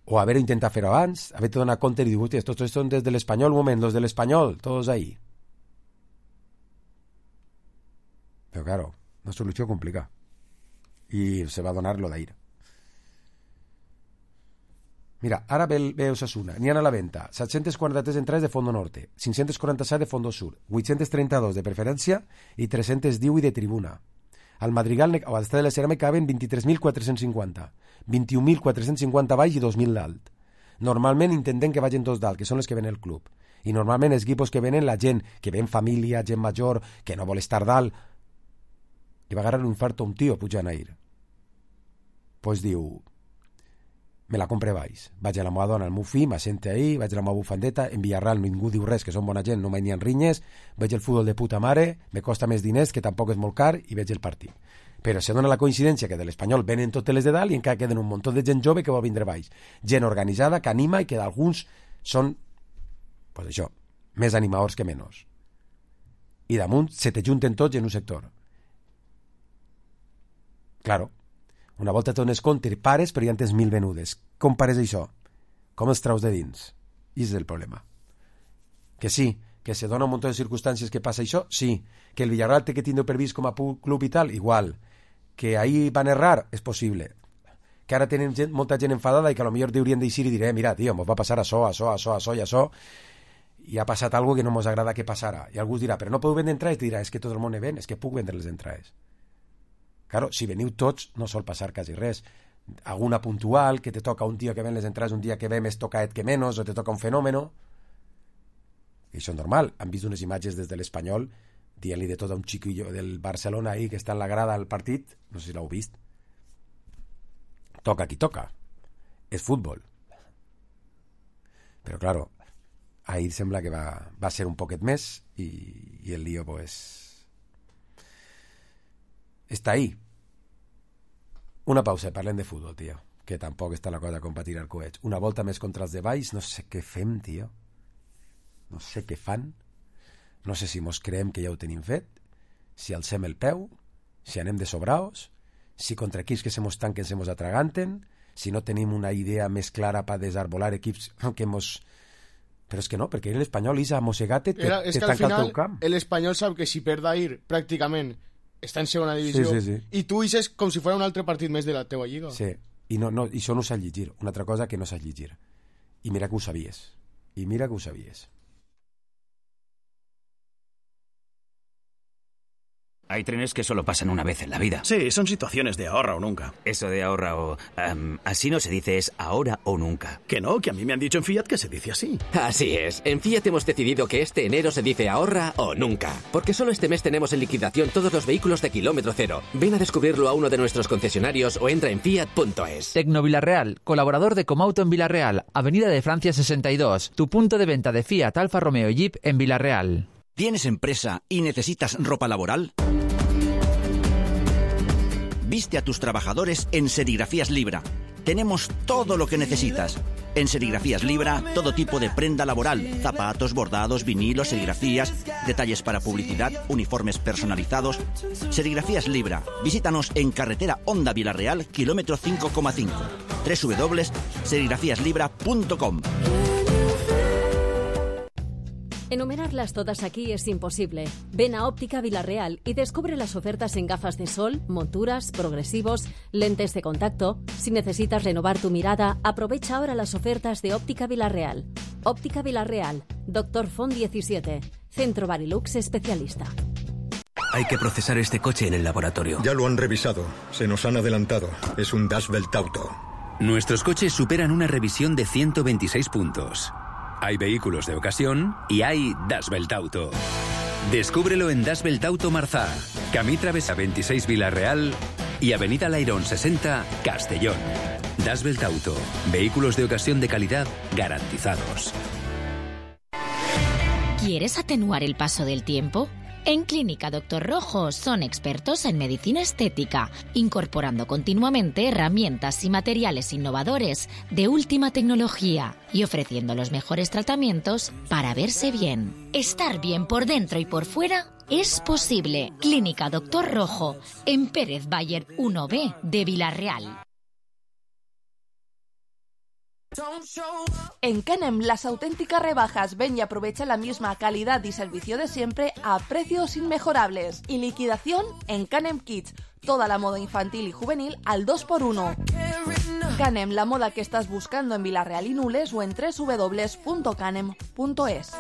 O haver intentat fer-ho abans, haver-te donat compte i dir, hòstia, tots són des de l'Espanyol, un moment, los de l'Espanyol, tots ahí. Però, claro, una solució complicada. I se va donar lo d'ahir. Mira, ara ve, ve Osasuna, n'hi ha a la venda set-cents quaranta-tres entrades de Fondo Norte, cinc-cents quaranta-set de Fondo Sur, vuit-cents trenta-dos de preferència i tres-cents divuit de tribuna. Al Madrigal o al Estadi de la Ceràmica caben vint-i-tres mil quatre-cents cinquanta, vint-i-un mil quatre-cents cinquanta baix i dos mil dalt. Normalment intentem que vagin dos dalt, que són els que ven el club. I normalment els equipos que venen la gent, que ven família, gent major, que no vol estar dalt. I va agarrar un infarto a un tio pujant a ir. Pues diu, me la compre baix. Vaig a la meva dona, al meu fill, m'assente ahí, vaig a la meva bufandeta, en Villarreal ningú diu res, que són bona gent, no mai n'hi ha rinyes, veig el futbol de puta mare, me costa més diners, que tampoc és molt car, i veig el partit. Però se dona la coincidència que de l'Espanyol venen totes les de dalt i encara queden un munt de gent jove que vol vindre baix. Gent organitzada, que anima i que d'alguns són, pues això, més animadors que menys. I damunt se te junten tots en un sector. Claro, una volta te dones compte, pares, però ja en tens mil venudes. Com pares això? Com els traus de dins? I és el problema. Que sí, que se dona un munt de circumstàncies que passa això, sí. Que el Villarreal té que tindre previst com a club i tal, igual. Que ahí van errar, és possible. Que ara tenen gent, molta gent enfadada i que potser deurien d'eixir i dir, eh, mira, tio, mos va passar això, això, això, això i això, i ha passat algo que no mos agrada que passara. I algú dirà, però no podeu vendre entrades? I dirà, és que tot el món ne ven, és que puc vendre les entrades. Claro, si veniu tots, no sol passar quasi res. Alguna puntual, que te toca un tio que ven les entrades un dia que ve més tocaet que menys, o te toca un fenòmeno. I això és normal. Han vist unes imatges des de l'Espanyol dient-li de tot a un xiquillo del Barcelona ahí que està en la grada al partit. No sé si l'heu vist. Toca qui toca. És futbol. Però, claro, ahir sembla que va, va ser un poquet més i, i el lío, pues, està ahí. Una pausa, parlem de futbol, tio, que tampoc està la cosa com per tirar coets. Una volta més contra els de baix, no sé què fem, tio. No sé què fan. No sé si mos creiem que ja ho tenim fet, si alcem el peu, si anem de sobraos, si contra equips que se mos tanquen se mos atraganten, si no tenim una idea més clara per desarbolar equips que mos... Però és que no, perquè l'Espanyol és amossegate, te, Era, és te que al tanca final, el teu camp. l'Espanyol sap que si perd ahir, pràcticament, està en segona divisió, sí, sí, sí. i tu ixes com si fos un altre partit més de la teua lliga. Sí, i, no, no, i això no saps llegir. Una altra cosa que no saps llegir. I mira que ho sabies. I mira que ho sabies. Hay trenes que solo pasan una vez en la vida. Sí, son situaciones de ahorra o nunca. Eso de ahorra o... Um, así no se dice, es ahora o nunca. Que no, que a mí me han dicho en Fiat que se dice así. Así es. En Fiat hemos decidido que este enero se dice ahorra o nunca. Porque solo este mes tenemos en liquidación todos los vehículos de kilómetro cero. Ven a descubrirlo a uno de nuestros concesionarios o entra en fiat punto es. Tecno Villarreal, colaborador de Comauto en Villarreal, Avenida de Francia sesenta y dos. Tu punto de venta de Fiat, Alfa Romeo y Jeep en Villarreal. ¿Tienes empresa y necesitas ropa laboral? Viste a tus trabajadores en Serigrafías Libra. Tenemos todo lo que necesitas. En Serigrafías Libra, todo tipo de prenda laboral, zapatos, bordados, vinilos, serigrafías, detalles para publicidad, uniformes personalizados. Serigrafías Libra. Visítanos en carretera Honda Vilarreal, kilómetro cinco coma cinco. doble u doble u doble u punto serigrafías libra punto com. Enumerarlas todas aquí es imposible. Ven a Óptica Vilarreal y descubre las ofertas en gafas de sol, monturas, progresivos, lentes de contacto. Si necesitas renovar tu mirada, aprovecha ahora las ofertas de Óptica Vilarreal. Óptica Vilarreal, Doctor Font diecisiete, Centro Barilux Especialista. Hay que procesar este coche en el laboratorio. Ya lo han revisado. Se nos han adelantado. Es un Dashbelt Auto. Nuestros coches superan una revisión de ciento veintiséis puntos. Hay vehículos de ocasión y hay Dashbelt Auto. Descúbrelo en Dashbelt Auto Marzá, Camí Travesa veintiséis Vilarreal y Avenida Lairón sesenta, Castellón. Dashbelt Auto. Vehículos de ocasión de calidad garantizados. ¿Quieres atenuar el paso del tiempo? En Clínica Doctor Rojo son expertos en medicina estética, incorporando continuamente herramientas y materiales innovadores de última tecnología y ofreciendo los mejores tratamientos para verse bien. Estar bien por dentro y por fuera es posible. Clínica Doctor Rojo, en Pérez Bayer uno B de Vilarreal. En Canem, las auténticas rebajas. Ven y aprovecha la misma calidad y servicio de siempre a precios inmejorables. Y liquidación en Canem Kids. Toda la moda infantil y juvenil al dos por uno. Canem, la moda que estás buscando en Vilarreal y Nules o en doble u doble u doble u punto canem punto es.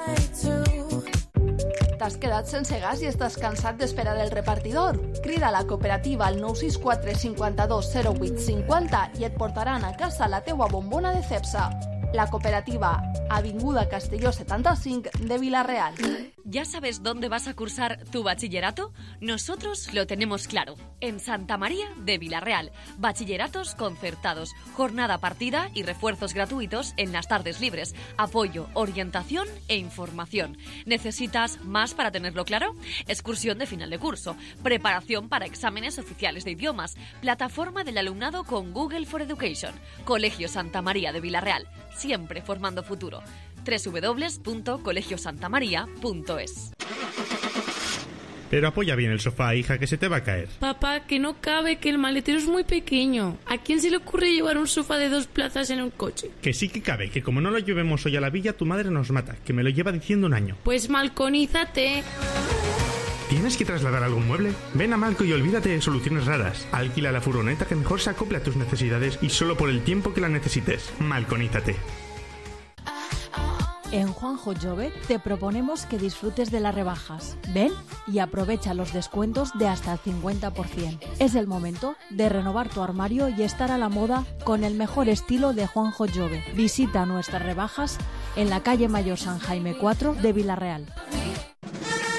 T'has quedat sense gas i estàs cansat d'esperar el repartidor? Crida a la cooperativa al nou sis quatre cinquanta-dos zero vuit cinquanta i et portaran a casa la teua bombona de Cepsa. La cooperativa, Avinguda Castelló setenta y cinco de Vilarreal. ¿Ya sabes dónde vas a cursar tu bachillerato? Nosotros lo tenemos claro. En Santa María de Vilarreal. Bachilleratos concertados, jornada partida y refuerzos gratuitos en las tardes libres. Apoyo, orientación e información. ¿Necesitas más para tenerlo claro? Excursión de final de curso. Preparación para exámenes oficiales de idiomas. Plataforma del alumnado con Google for Education. Colegio Santa María de Vilarreal. Siempre formando futuro. doble u doble u doble u punto colegio santa maría punto es. Pero apoya bien el sofá, hija, que se te va a caer. Papá, que no cabe, que el maletero es muy pequeño. ¿A quién se le ocurre llevar un sofá de dos plazas en un coche? Que sí que cabe, que como no lo llevemos hoy a la villa, tu madre nos mata, que me lo lleva diciendo un año. Pues malconízate. ¿Tienes que trasladar algún mueble? Ven a Malco y olvídate de soluciones raras. Alquila la furgoneta que mejor se acople a tus necesidades y solo por el tiempo que la necesites. Malconízate. En Juanjo Jove te proponemos que disfrutes de las rebajas. Ven y aprovecha los descuentos de hasta el cincuenta por ciento. Es el momento de renovar tu armario y estar a la moda con el mejor estilo de Juanjo Jove. Visita nuestras rebajas en la calle Mayor San Jaime cuatro de Vilarreal.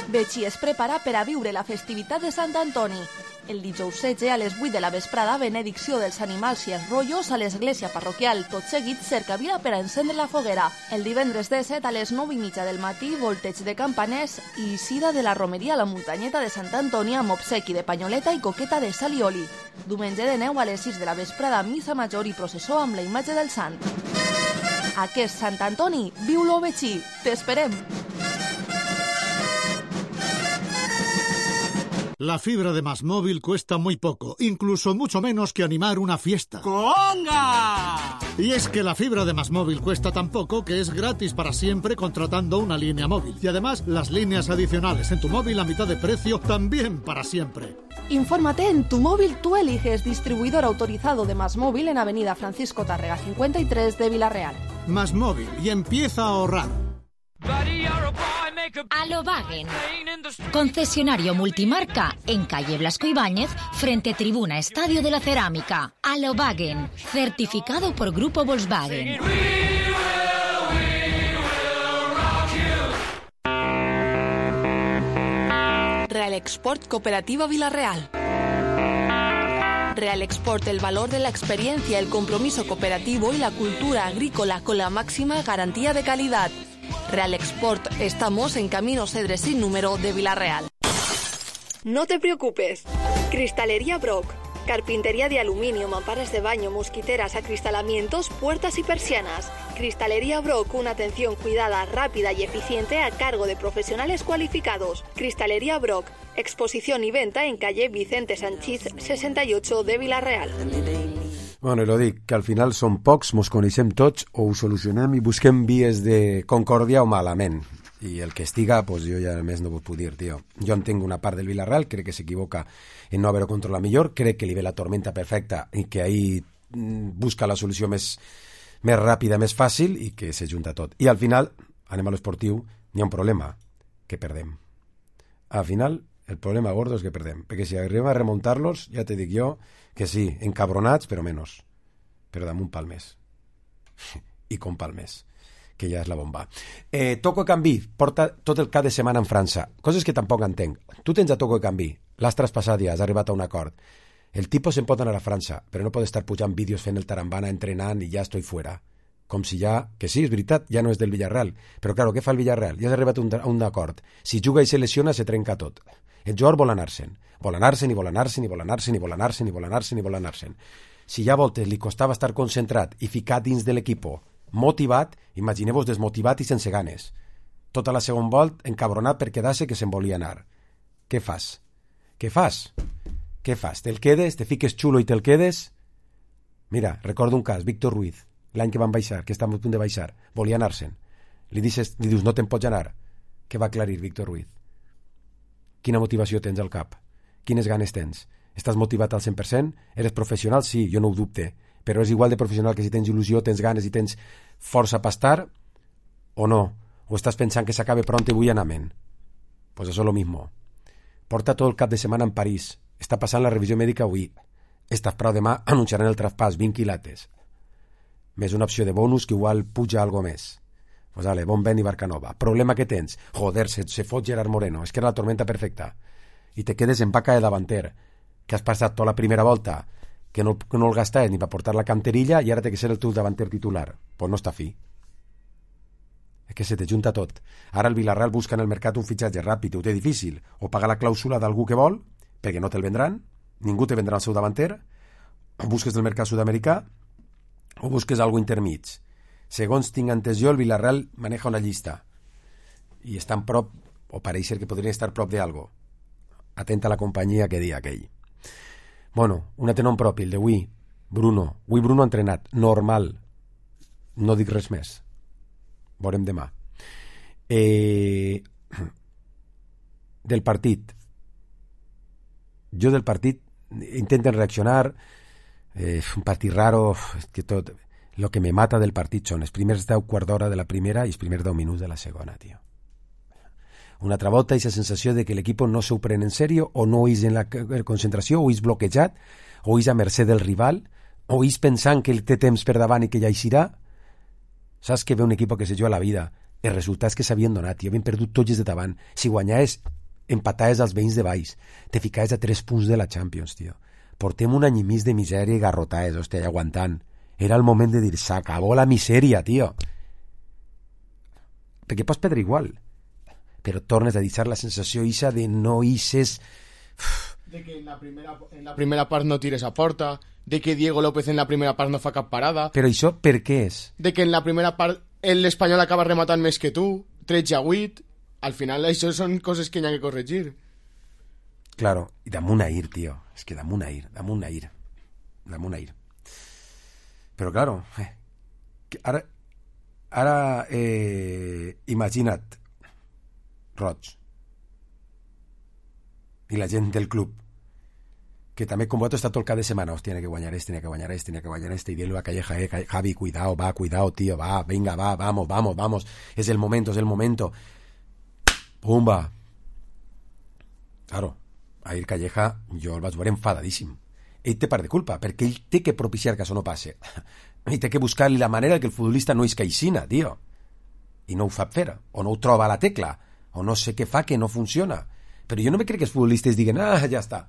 Betxí es prepara per a viure la festivitat de Sant Antoni. El dijous setze a les vuit de la vesprada, benedicció dels animals i els rotllos a l'església parroquial. Tot seguit, cercavila per a encendre la foguera. El divendres disset a les nou i mitja del matí, volteig de campaners i eixida de la romeria a la muntanyeta de Sant Antoni amb obsequi de panyoleta i coqueta de sal i oli. Diumenge de neu a les sis de la vesprada, missa major i processó amb la imatge del sant. Aquest Sant Antoni, viu-lo Betxí. T'esperem! La fibra de Más Móvil cuesta muy poco, incluso mucho menos que animar una fiesta. ¡Conga! Y es que la fibra de Más Móvil cuesta tan poco que es gratis para siempre contratando una línea móvil. Y además, las líneas adicionales en tu móvil a mitad de precio también para siempre. Infórmate en Tu Móvil Tú Eliges, distribuidor autorizado de Más Móvil en Avenida Francisco Tárrega cincuenta y tres de Vilarreal. Más Móvil, y empieza a ahorrar. Alobagen, concesionario multimarca en calle Blasco Ibáñez, frente Tribuna Estadio de la Cerámica. Alobagen, certificado por Grupo Volkswagen. Real Export Cooperativa Vilarreal. Real Export, el valor de la experiencia, el compromiso cooperativo y la cultura agrícola con la máxima garantía de calidad. Real Export, estamos en Camino Cedres sin número de Vilarreal. No te preocupes. Cristalería Brock. Carpintería de aluminio, mamparas de baño, mosquiteras, acristalamientos, puertas y persianas. Cristalería Brock, una atención cuidada, rápida y eficiente a cargo de profesionales cualificados. Cristalería Brock, exposición y venta en calle Vicente Sanchís sesenta y ocho de Vila-real. Bueno, i lo dic, que al final som pocs, mos coneixem tots, o ho solucionem i busquem vies de concòrdia o malament. I el que estiga, pues jo ja més no ho puc dir, tio. Jo entenc una part del Villarreal, crec que s'equivoca en no haver-ho controlat millor, crec que li ve la tormenta perfecta i que ahí busca la solució més, més ràpida, més fàcil i que se junta tot. I al final, anem a l'esportiu, n'hi ha un problema, que perdem. Al final, el problema gordo és que perdem, perquè si arribem a remuntar-los, ja te dic jo, que sí, encabronats, però menys. Però damunt palmers. I com palmers. Que ja és la bomba. Eh, Toko Ekambi porta tot el cap de setmana en França. Coses que tampoc entenc. Tu tens a Toko Ekambi, l'has traspassat ja, has arribat a un acord. El tipus se'n pot anar a França, però no pot estar pujant vídeos fent el tarambana, entrenant i ja estoy fuera. Com si ja, que sí, és veritat, ja no és del Villarreal. Però claro, què fa el Villarreal? Ja has arribat a un, a un acord. Si juga i se lesiona, se trenca tot. El jugador vol anar-se'n. Vol anar-se'n i vol anar-se'n i vol anar-se'n i vol anar-se'n i vol anar-se'n i vol anar-se'n. Si ja a voltes li costava estar concentrat i ficat dins de l'equipo motivat, imagineu-vos desmotivat i sense ganes. Tota la segona volt encabronat per quedar-se que se'n volia anar. Què fas? Què fas? Què fas? Te'l quedes? Te fiques xulo i te'l quedes? Mira, recordo un cas, Víctor Ruiz, l'any que van baixar, que estàvem a punt de baixar, volia anar-se'n. Li, dices, li dius, no te'n pots anar. Què va aclarir Víctor Ruiz? Quina motivació tens al cap? Quines ganes tens? Estàs motivat al cent per cent? Eres professional? Sí, jo no ho dubte. Però és igual de professional que si tens il·lusió, tens ganes i tens força per estar, o no? O estàs pensant que s'acabe pront i vull anament? Pues eso lo mismo. Porta tot el cap de setmana en París. Està passant la revisió mèdica avui. Estàs prou demà, anunciaran el traspàs, vint quilates. Més una opció de bonus que igual puja algo més. Pues vale, bon vent i Barcanova. Problema que tens? Joder, se, se fot Gerard Moreno. És que era la tormenta perfecta. I te quedes en vaca de davanter. Que has passat tota la primera volta que no, que no el gastaves ni per portar la canterilla i ara té que ser el teu davanter titular. Pues no està fi. És que se te junta tot. Ara el Villarreal busca en el mercat un fitxatge ràpid, ho té difícil. O pagar la clàusula d'algú que vol, perquè no te'l vendran, ningú te vendrà el seu davanter, o busques del mercat sud-americà, o busques algo intermig. Segons tinc entès jo, el Villarreal maneja una llista. I estan prop, o pareix ser que podrien estar prop d'algo. Atenta a la companyia que dia aquell. Bueno, un atenom propi, el de Wii, Bruno. Wii Bruno entrenat, normal. No dic res més. Veurem demà. Eh... Del partit. Jo del partit intenten reaccionar. Eh, un partit raro. És que tot... Lo que me mata del partit són els primers deu quart d'hora de la primera i els primers deu minuts de la segona, tio. Una altra volta aquesta sensació de que l'equip no s'ho pren en sèrio o no és en la concentració o és bloquejat o és a mercè del rival o és pensant que té temps per davant i que ja eixirà. Saps que ve un equip que se juga a la vida, els resultats que s'havien donat i havien perdut tots de davant, si guanyaves empataves als veïns de baix, te ficaves a tres punts de la Champions, tio. Portem un any i mig de misèria i garrotaves, hòstia, aguantant. Era el moment de dir, s'acabó la misèria, tio. Perquè pots perdre igual, però tornes a deixar la sensació ixa de no ixes... De que en la, primera, en la primera part no tires a porta, de que Diego López en la primera part no fa cap parada... Però això per què és? De que en la primera part l'Espanyol acaba rematant més que tu, tretze a vuit... Al final això són coses que hi ha que corregir. Claro, i damunt a ir, tio. És que damunt a ir, damunt a ir. Damunt a ir. Però claro, eh, ara, ara eh, imagina't, Roig, i la gent del club, que també com vosaltres està tot el cap de setmana, hòstia, tiene que guanyar este, tiene que guanyar este, tiene que guanyar este, y dile a Calleja, eh, Javi, cuidado, va, cuidado, tío, va, venga, va, vamos, vamos, vamos, es el momento, es el momento. Pumba. Claro, ahir Calleja jo el vaig veure enfadadíssim. Ell té part de culpa, perquè ell té que propiciar que això no passe. Ell té que buscar-li la manera que el futbolista no és caixina, tio. I no ho fa fer, o no ho troba a la tecla, o no sé què fa que no funciona. Però jo no me crec que els futbolistes diguen, ah, ja està.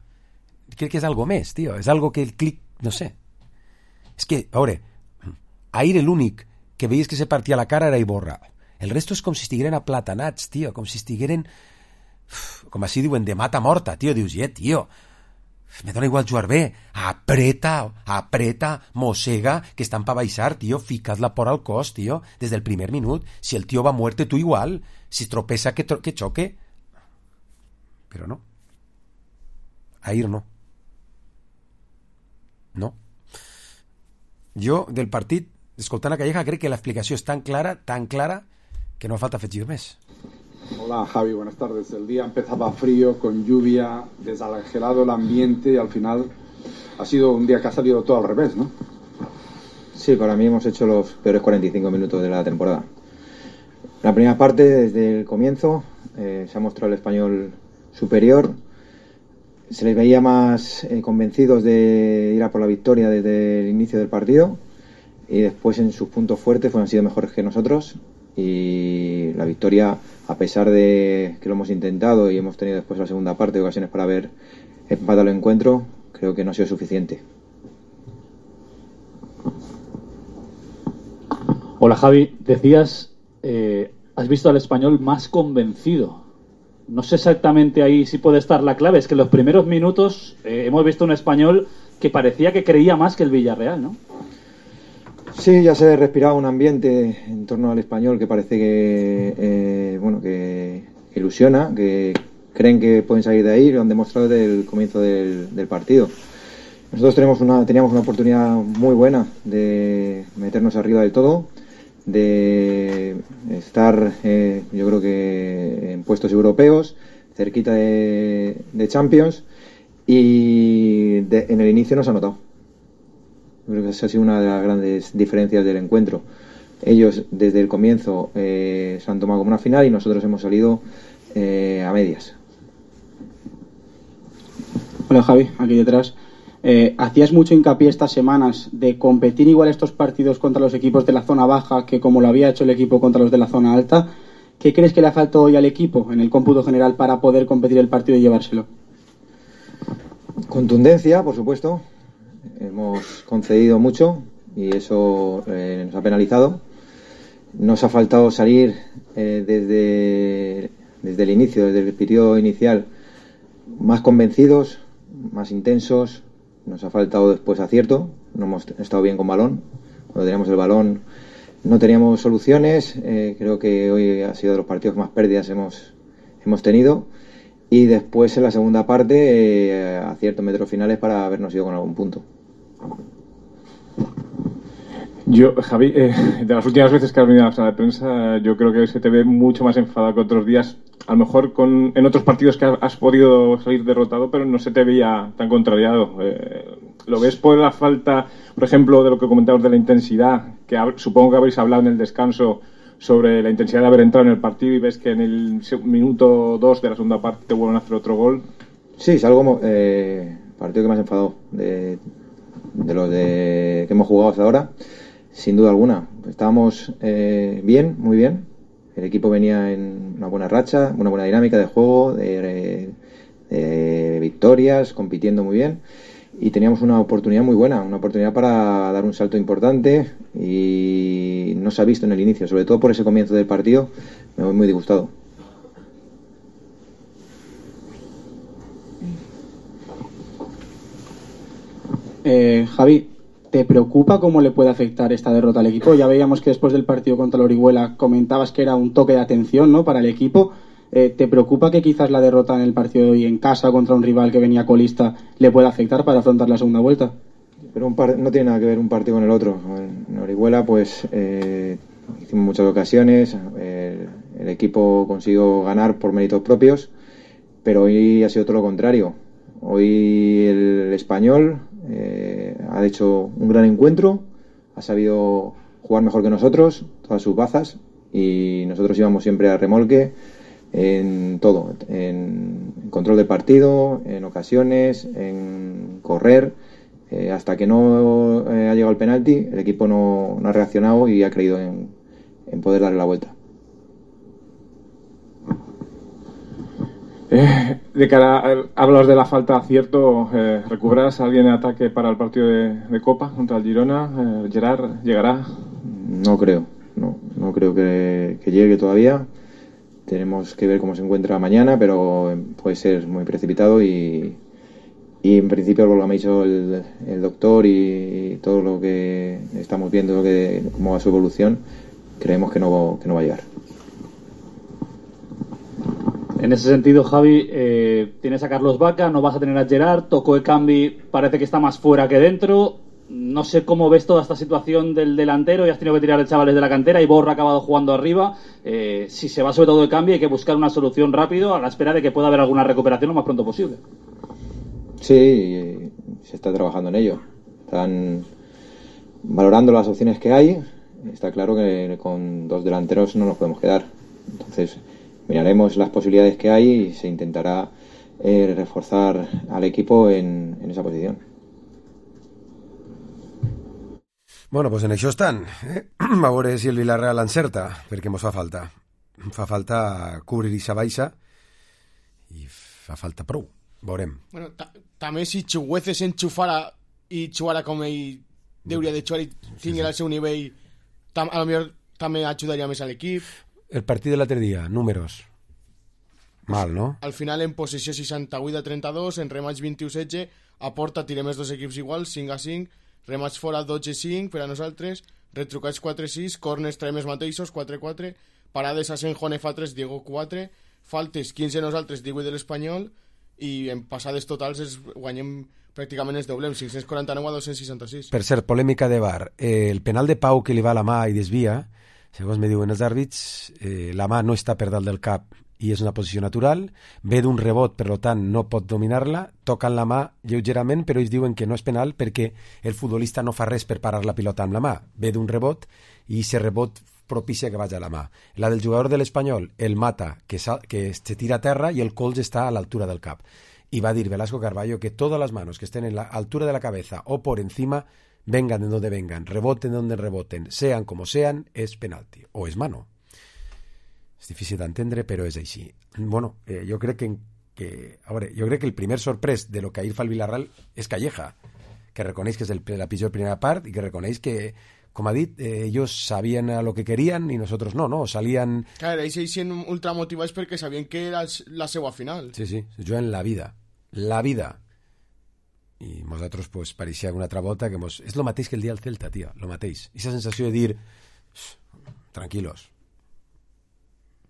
Crec que és algo més, tio. És algo que el clic, no sé. És que, a veure, ahir l'únic que veies que se partia la cara era Iborra. El resto és com si estigueren aplatanats, tio, com si estigueren, com així diuen, de mata morta, tio. Dius, eh, tio, Me dona igual jugar bé. Apreta, apreta, mossega, que estan pa baixar, tio. Fica't la por al cos, tio. Des del primer minut. Si el tio va muerte, tu igual. Si tropeza, que, tro que choque. Però no. Ahir no. No. Jo, del partit, escoltant a Calleja, crec que l'explicació és tan clara, tan clara, que no falta afegir més. Hola Javi, buenas tardes. El día empezaba frío, con lluvia, desangelado el ambiente y al final ha sido un día que ha salido todo al revés, ¿no? Sí, para mí hemos hecho los peores cuarenta y cinco minutos de la temporada. La primera parte, desde el comienzo, eh, se ha mostrado el Español superior. Se les veía más eh, convencidos de ir a por la victoria desde el inicio del partido y después en sus puntos fuertes fueron sido mejores que nosotros. Y la victoria, a pesar de que lo hemos intentado y hemos tenido después la segunda parte ocasiones para haber empatado el encuentro, creo que no ha sido suficiente. Hola Javi, decías, eh, has visto al Español más convencido. No sé exactamente ahí si puede estar la clave, es que en los primeros minutos eh, hemos visto un Español que parecía que creía más que el Villarreal, ¿no? Sí, ya se respiraba un ambiente en torno al Español que parece que eh, bueno que ilusiona, que creen que pueden salir de ahí, lo han demostrado desde el comienzo del, del partido. Nosotros tenemos una, teníamos una oportunidad muy buena de meternos arriba del todo, de estar eh, yo creo que en puestos europeos, cerquita de, de Champions, y de, en el inicio nos ha notado. Creo que esa ha sido una de las grandes diferencias del encuentro. Ellos desde el comienzo eh, se han tomado como una final y nosotros hemos salido eh, a medias. Hola Javi, aquí detrás. Eh, hacías mucho hincapié estas semanas de competir igual estos partidos contra los equipos de la zona baja que como lo había hecho el equipo contra los de la zona alta. ¿Qué crees que le ha faltado hoy al equipo en el cómputo general para poder competir el partido y llevárselo? Contundencia, por supuesto. Hemos concedido mucho y eso eh, nos ha penalizado. Nos ha faltado salir eh, desde, desde el inicio, desde el periodo inicial, más convencidos, más intensos. Nos ha faltado después acierto. No hemos estado bien con balón. Cuando teníamos el balón no teníamos soluciones. Eh, creo que hoy ha sido de los partidos que más pérdidas hemos, hemos tenido. Y después en la segunda parte eh, acierto en metros finales para habernos ido con algún punto. Yo, Javi, eh, de las últimas veces que has venido a la sala de prensa, yo creo que se te ve mucho más enfadado que otros días. A lo mejor con, en otros partidos que has podido salir derrotado, pero no se te veía tan contrariado. Eh, ¿Lo ves por la falta, por ejemplo, de lo que comentabas de la intensidad? Que hab, supongo que habréis hablado en el descanso sobre la intensidad de haber entrado en el partido y ves que en el minuto dos de la segunda parte te vuelven a hacer otro gol. Sí, es algo eh, partido que me has enfadado de, de los de, que hemos jugado hasta ahora, sin duda alguna. Estábamos eh, bien, muy bien. El equipo venía en una buena racha, una buena dinámica de juego, de, de, de victorias, compitiendo muy bien. Y teníamos una oportunidad muy buena, una oportunidad para dar un salto importante y no se ha visto en el inicio, sobre todo por ese comienzo del partido, me voy muy disgustado. Eh, Javi, ¿te preocupa cómo le puede afectar esta derrota al equipo? Ya veíamos que después del partido contra la Orihuela comentabas que era un toque de atención, ¿no?, para el equipo. Eh, ¿Te preocupa que quizás la derrota en el partido de hoy en casa contra un rival que venía colista le pueda afectar para afrontar la segunda vuelta? Pero un par no tiene nada que ver un partido con el otro. En Orihuela pues eh, hicimos muchas ocasiones, eh, el equipo consiguió ganar por méritos propios, pero hoy ha sido todo lo contrario. Hoy el Español eh, ha hecho un gran encuentro, ha sabido jugar mejor que nosotros, todas sus bazas, y nosotros íbamos siempre a remolque en todo, en control del partido, en ocasiones, en correr, eh, hasta que no eh, ha llegado el penalti, el equipo no, no ha reaccionado y ha creído en, en poder darle la vuelta. Eh, de cara a, hablas de la falta de acierto, eh, ¿recuperas a alguien en ataque para el partido de, de Copa contra el Girona? Eh, ¿Gerard llegará? No creo, no, no creo que, que llegue todavía. Tenemos que ver cómo se encuentra mañana, pero puede ser muy precipitado y, y en principio por lo que me ha dicho el, el doctor y, y todo lo que estamos viendo, lo que, cómo va su evolución, creemos que no, que no va a llegar. En ese sentido, Javi, eh, tienes a Carlos Vaca, no vas a tener a Gerard, Toko Ekambi parece que está más fuera que dentro. No sé cómo ves toda esta situación del delantero, y has tenido que tirar a chavales de la cantera y Borra ha acabado jugando arriba. Eh, si se va sobre todo Ekambi, hay que buscar una solución rápido a la espera de que pueda haber alguna recuperación lo más pronto posible. Sí, se está trabajando en ello. Están valorando las opciones que hay. Está claro que con dos delanteros no nos podemos quedar. Entonces miraremos las posibilidades que hay y se intentará eh, reforzar al equipo en, en esa posición. Bueno, pues en això estan. Eh? A veure si el Villarreal encerta, perquè mos fa falta. Fa falta cobrir ixa baixa i fa falta prou. Veurem. Bueno, ta també si Chuguece s'enxufara i jugara com ell hauria de jugar i tinguera el seu nivell, tam a lo millor també ajudaria més a l'equip. El partit de l'altre dia, números. Mal, no? Al final en possessió seixanta-vuit a trenta-dos, en remats vint-i-u a setze, a porta tirem els dos equips iguals, cinc a cinc, remats fora dotze a cinc per a nosaltres, retrucats quatre a sis, corners traiem els mateixos, quatre a quatre, parades a Senjone fa tres, Diego quatre, faltes quinze a nosaltres, divuit de l'Espanyol, i en passades totals es guanyem pràcticament es doblem, cinc-cents quaranta-nou a dos-cents seixanta-sis. Per cert, polèmica de V A R. Eh, el penal de Pau que li va a la mà i desvia, segons me diuen els àrbits, eh, la mà no està per dalt del cap i és una posició natural, ve d'un rebot, per tant no pot dominar-la, toquen la mà lleugerament, però ells diuen que no és penal perquè el futbolista no fa res per parar la pilota amb la mà, ve d'un rebot i aquest rebot propicia que vagi a la mà. La del jugador de l'Espanyol, el mata, que, que se tira a terra i el colze està a l'altura del cap. Y va a dir Velasco Carballo que todas las manos que estén en la altura de la cabeza o por encima, vengan de donde vengan, reboten de donde reboten, sean como sean, es penalti o es mano. És difícil d'entendre, però és així. Bueno, eh, jo crec que, que a veure, jo crec que el primer sorprès de lo que ahir fa el Villarreal és Calleja, que reconeix que és el, la pitjor primera part i que reconeix que, com ha dit, eh, ellos sabien a lo que querían i nosotros no, no? Salían... Claro, ells eixien ultramotivats perquè sabien que era la seva final. Sí, sí, juguen la vida. La vida. I nosaltres, pues, pareixia una altra volta que mos... És lo mateix que el dia del Celta, tio, lo mateix. Esa sensació de dir, tranquilos,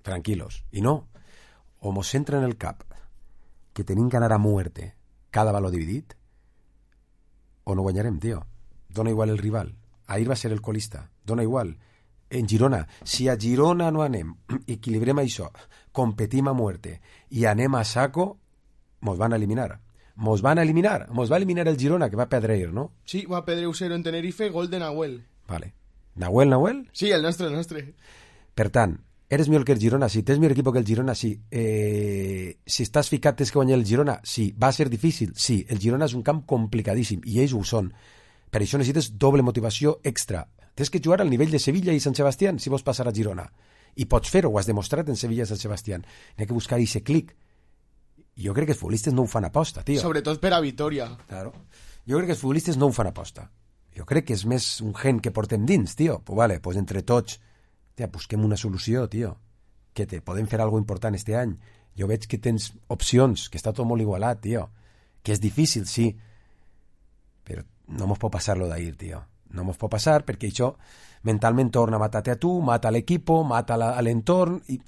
tranquilos. I no, o mos entra en el cap que tenim que anar a muerte cada valor dividit, o no guanyarem, tio. Dona igual el rival. Ahir va ser el colista. Dona igual. En Girona, si a Girona no anem, equilibrem això, competim a muerte i anem a saco, mos van a eliminar. Mos van a eliminar. Mos va eliminar el Girona, que va perdre ahir, ¿no? Sí, va perdre u cero en Tenerife, gol de Nahuel. Vale. ¿Nahuel, Nahuel? Sí, el nostre, el nostre. Per tant, eres millor que el Girona? Sí. Tens millor equip que el Girona? Sí. Eh, si estàs ficat tens que guanyar el Girona? Sí. Va ser difícil? Sí. El Girona és un camp complicadíssim, i ells ho són. Per això necessites doble motivació extra. Tens que jugar al nivell de Sevilla i Sant Sebastián si vols passar a Girona. I pots fer-ho, ho has demostrat en Sevilla i Sant Sebastián. N'hi ha que buscar aquest clic. Jo crec que els futbolistes no ho fan aposta, tio. Sobretot per a Vitoria. Claro. Jo crec que els futbolistes no ho fan aposta. Jo crec que és més un gen que portem dins, tio. Pues vale, pues entre tots, tia, busquem una solució, tio. Que te podem fer alguna important este any. Jo veig que tens opcions, que està tot molt igualat, tio. Que és difícil, sí. Però no mos pot passar lo d'ahir, tio. No mos pot passar perquè això mentalment torna a matar-te a tu, mata a l'equipo, mata a l'entorn i...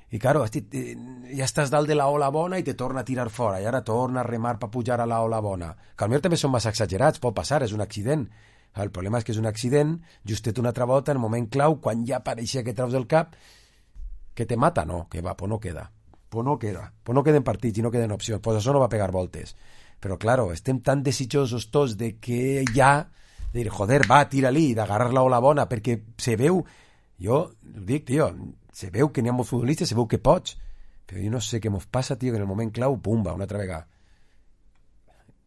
I, claro, ja estàs dalt de la ola bona i te torna a tirar fora, i ara torna a remar per pujar a la ola bona. Que potser també són massa exagerats, pot passar, és un accident. El problema és que és un accident, justet una altra volta, en el moment clau, quan ja pareixia que treus del cap, que te mata, no, que va, pues no queda. Pues no queda. Pues no queden partits i no queden opcions. Pues això no va pegar voltes. Però, claro, estem tan desitjosos tots de que ja, de dir, joder, va, tira-li, d'agarrar la ola bona, perquè se veu, jo dic, tio, se veu que n'hi ha molts futbolistes, se veu que pots, però jo no sé què mos passa, tio, que en el moment clau, pumba, una altra vegada.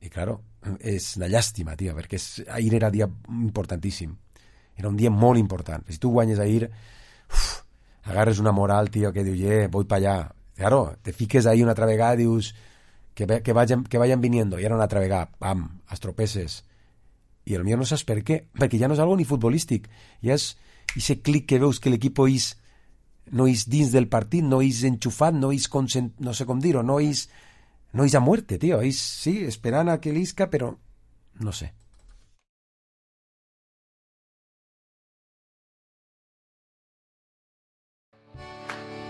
I, claro, és una llàstima, tio, perquè és, ahir era dia importantíssim. Era un dia molt important. Si tu guanyes ahir, uf, agarres una moral, tio, que diu, eh, voy pa allá. Claro, te fiques ahí una altra vegada, dius, que, que, vayan, que vayan viniendo, i era una altra vegada, pam, estropeces. I el millor no saps per què, perquè ja no és algo ni futbolístic, ja és ese clic que veus que l'equip és no és dins del partit, no és enxufat, no és consent, no sé com dir-ho, no és no hay a muerte, tío. Ahí sí, esperan a que lisca, pero no sé.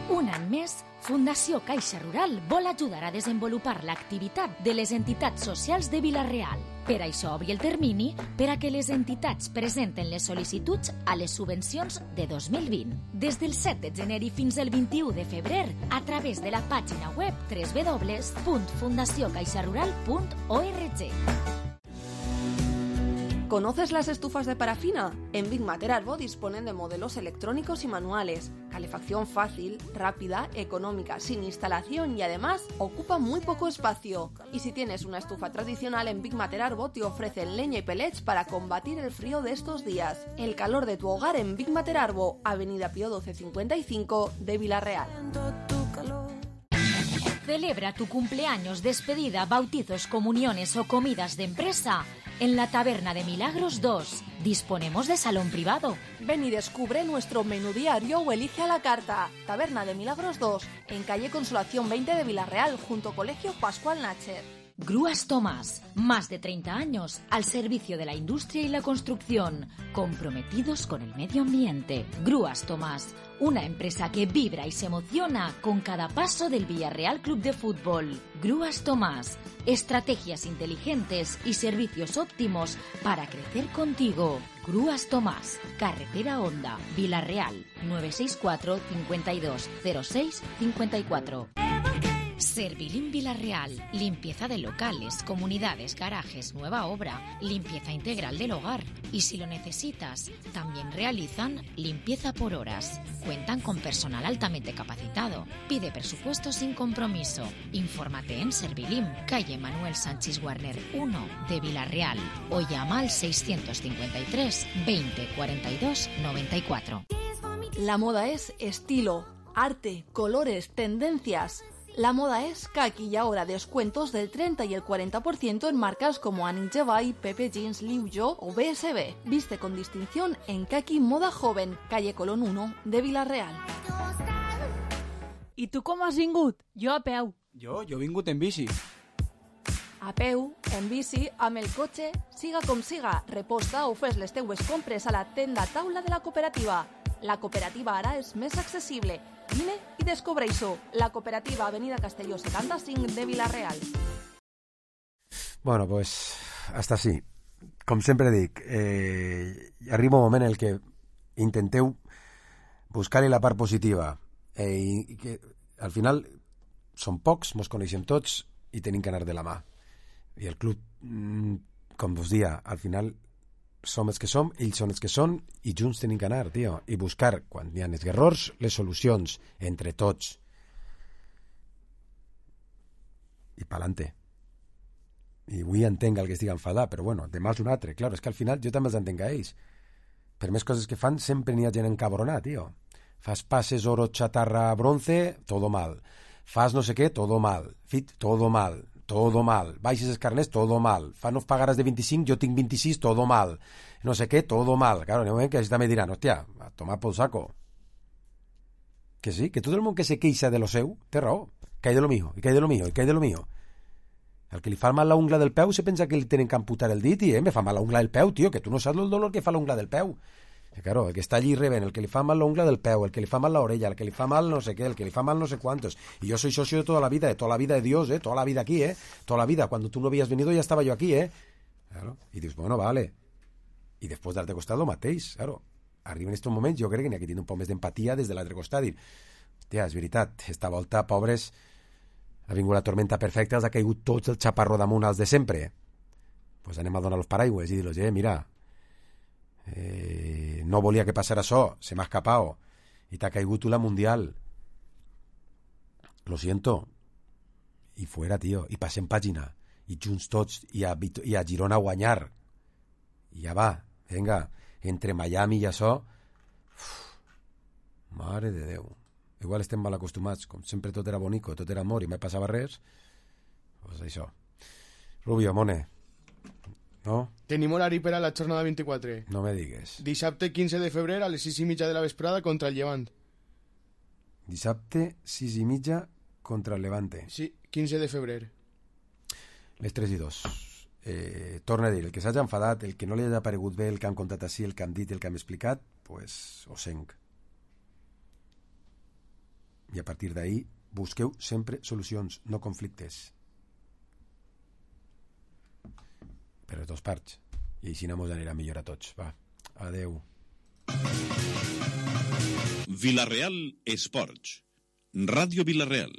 Un any més, Fundació Caixa Rural vol ajudar a desenvolupar l'activitat de les entitats socials de Vila-real. Per això obri el termini per a que les entitats presenten les sol·licituds a les subvencions de dos mil vint. Des del set de gener i fins al vint-i-u de febrer, a través de la pàgina web doble u doble u doble u punt fundació caixa rural punt org. ¿Conoces las estufas de parafina? En Big Mater Arbo disponen de modelos electrónicos y manuales, calefacción fácil, rápida, económica, sin instalación y además ocupa muy poco espacio. Y si tienes una estufa tradicional, en Big Mater Arbo te ofrecen leña y pellets para combatir el frío de estos días. El calor de tu hogar en Big Mater Arbo, Avenida Pío doce cincuenta y cinco de Vila-real. Celebra tu cumpleaños, despedida, bautizos, comuniones o comidas de empresa en la Taberna de Milagros dos. Disponemos de salón privado. Ven y descubre nuestro menú diario o elige a la carta. Taberna de Milagros dos, en calle Consolación veinte de Vila-real, junto Colegio Pascual Nacher. Grúas Tomás, más de treinta años al servicio de la industria y la construcción, comprometidos con el medio ambiente. Grúas Tomás, una empresa que vibra y se emociona con cada paso del Villarreal Club de Fútbol. Grúas Tomás, estrategias inteligentes y servicios óptimos para crecer contigo. Grúas Tomás, Carretera Honda, Vila-real, nueve seis cuatro, cincuenta y dos, cero seis, cincuenta y cuatro. Servilín Vila-real, limpieza de locales, comunidades, garajes, nueva obra, limpieza integral del hogar. Y si lo necesitas, también realizan limpieza por horas. Cuentan con personal altamente capacitado. Pide presupuesto sin compromiso. Infórmate en Servilín, calle Manuel Sánchez Warner uno de Vila-real o llama al seiscientos cincuenta y tres, veinte, cuarenta y dos, noventa y cuatro. La moda es estilo, arte, colores, tendencias. La moda es que aquí y ahora descuentos del treinta y el cuarenta por ciento en marcas como Annie Jevay, Pepe Jeans, Liu Yo o B S B. Viste con distinción en Kaki Moda Joven, calle Colón uno de Vila-real. I tu com has vingut? Jo a peu. Jo, jo he vingut en bici. A peu, en bici, amb el cotxe, siga com siga, reposta o fes les teues compres a la tenda taula de la cooperativa. La cooperativa ara és més accessible. Vine i descobreix-ho. La cooperativa Avenida Castelló setanta-cinc de Vila-real. Bueno, pues hasta sí. Com sempre dic, eh, arriba un moment en el que intenteu buscar-hi la part positiva eh, i, i que al final som pocs, mos coneixem tots i tenim que anar de la mà. I el club, com vos dia, al final som els que som, ells són els que són i junts tenim que anar, tio, i buscar quan hi ha els errors, les solucions entre tots i pa'lante. I avui entenc el que estic enfadat, però bueno, demà és un altre, clar, és que al final jo també els entenc a ells, per més coses que fan sempre n'hi ha gent encabronat, tio. Fas passes oro, chatarra, bronce, todo mal, fas no sé què, todo mal, fit, todo mal, todo mal, baixes els carnets, todo mal, fa no pagaràs de vint-i-cinc, jo tinc vint-i-sis, todo mal, no sé què, todo mal. Claro, en el moment que així també diran, hòstia, a tomar pel saco. Que sí, que tot el món que se queixa de lo seu, té raó, que hay de lo mío, i que hay de lo mío, i que hay de lo mío. El que li fa mal la ungla del peu se pensa que li tenen que amputar el dit i, eh, me fa mal la ungla del peu, tio, que tu no saps el dolor que fa la ungla del peu. Que claro, el que està allí rebent, el que li fa mal la ungla del peu, el que li fa mal la orella, el que li fa mal no sé qué, el que li fa mal no sé cuántos. Y yo soy socio de toda la vida, de toda la vida de Dios, eh, toda la vida aquí, eh, toda la vida. Cuando tú no habías venido ya estaba yo aquí, eh. Claro. Y dius, bueno, vale. Y después d'altre costat lo mateix, claro. Arriba en estos moments, jo crec que n'hi ha que tenir un poc més d'empatia des de l'altre costat. Dir, hòstia, és veritat, esta volta, pobres, ha vingut la tormenta perfecta, els ha caigut tots el xaparro damunt als de sempre. Pues anem a donar los paraigües i dir-los, eh, mira, Eh, no volia que passara això, se m'ha escapado i t'ha caigut la mundial, lo siento, i fuera, tio, i passem pàgina i junts tots i a, i a Girona a guanyar i ja va, venga, entre Miami i això, uf, mare de Déu, igual estem mal acostumats, com sempre tot era bonico, tot era amor i mai passava res, pues això. Rubio, mone, no? Tenim horari per a la jornada vint-i-quatre. No me digues. Dissabte quinze de febrer a les sis i mitja de la vesprada contra el Llevant. Dissabte sis i mitja contra el Levante. Sí, quinze de febrer. Les tres i dos. Eh, torna a dir, el que s'hagi enfadat, el que no li hagi aparegut bé el que han contat així, el que han dit, el que han explicat, pues ho senc. I a partir d'ahí busqueu sempre solucions, no conflictes. Per les dues parts. I així mos anirà millor a tots. Va, adeu. Vilareal Esports. Ràdio Vilareal.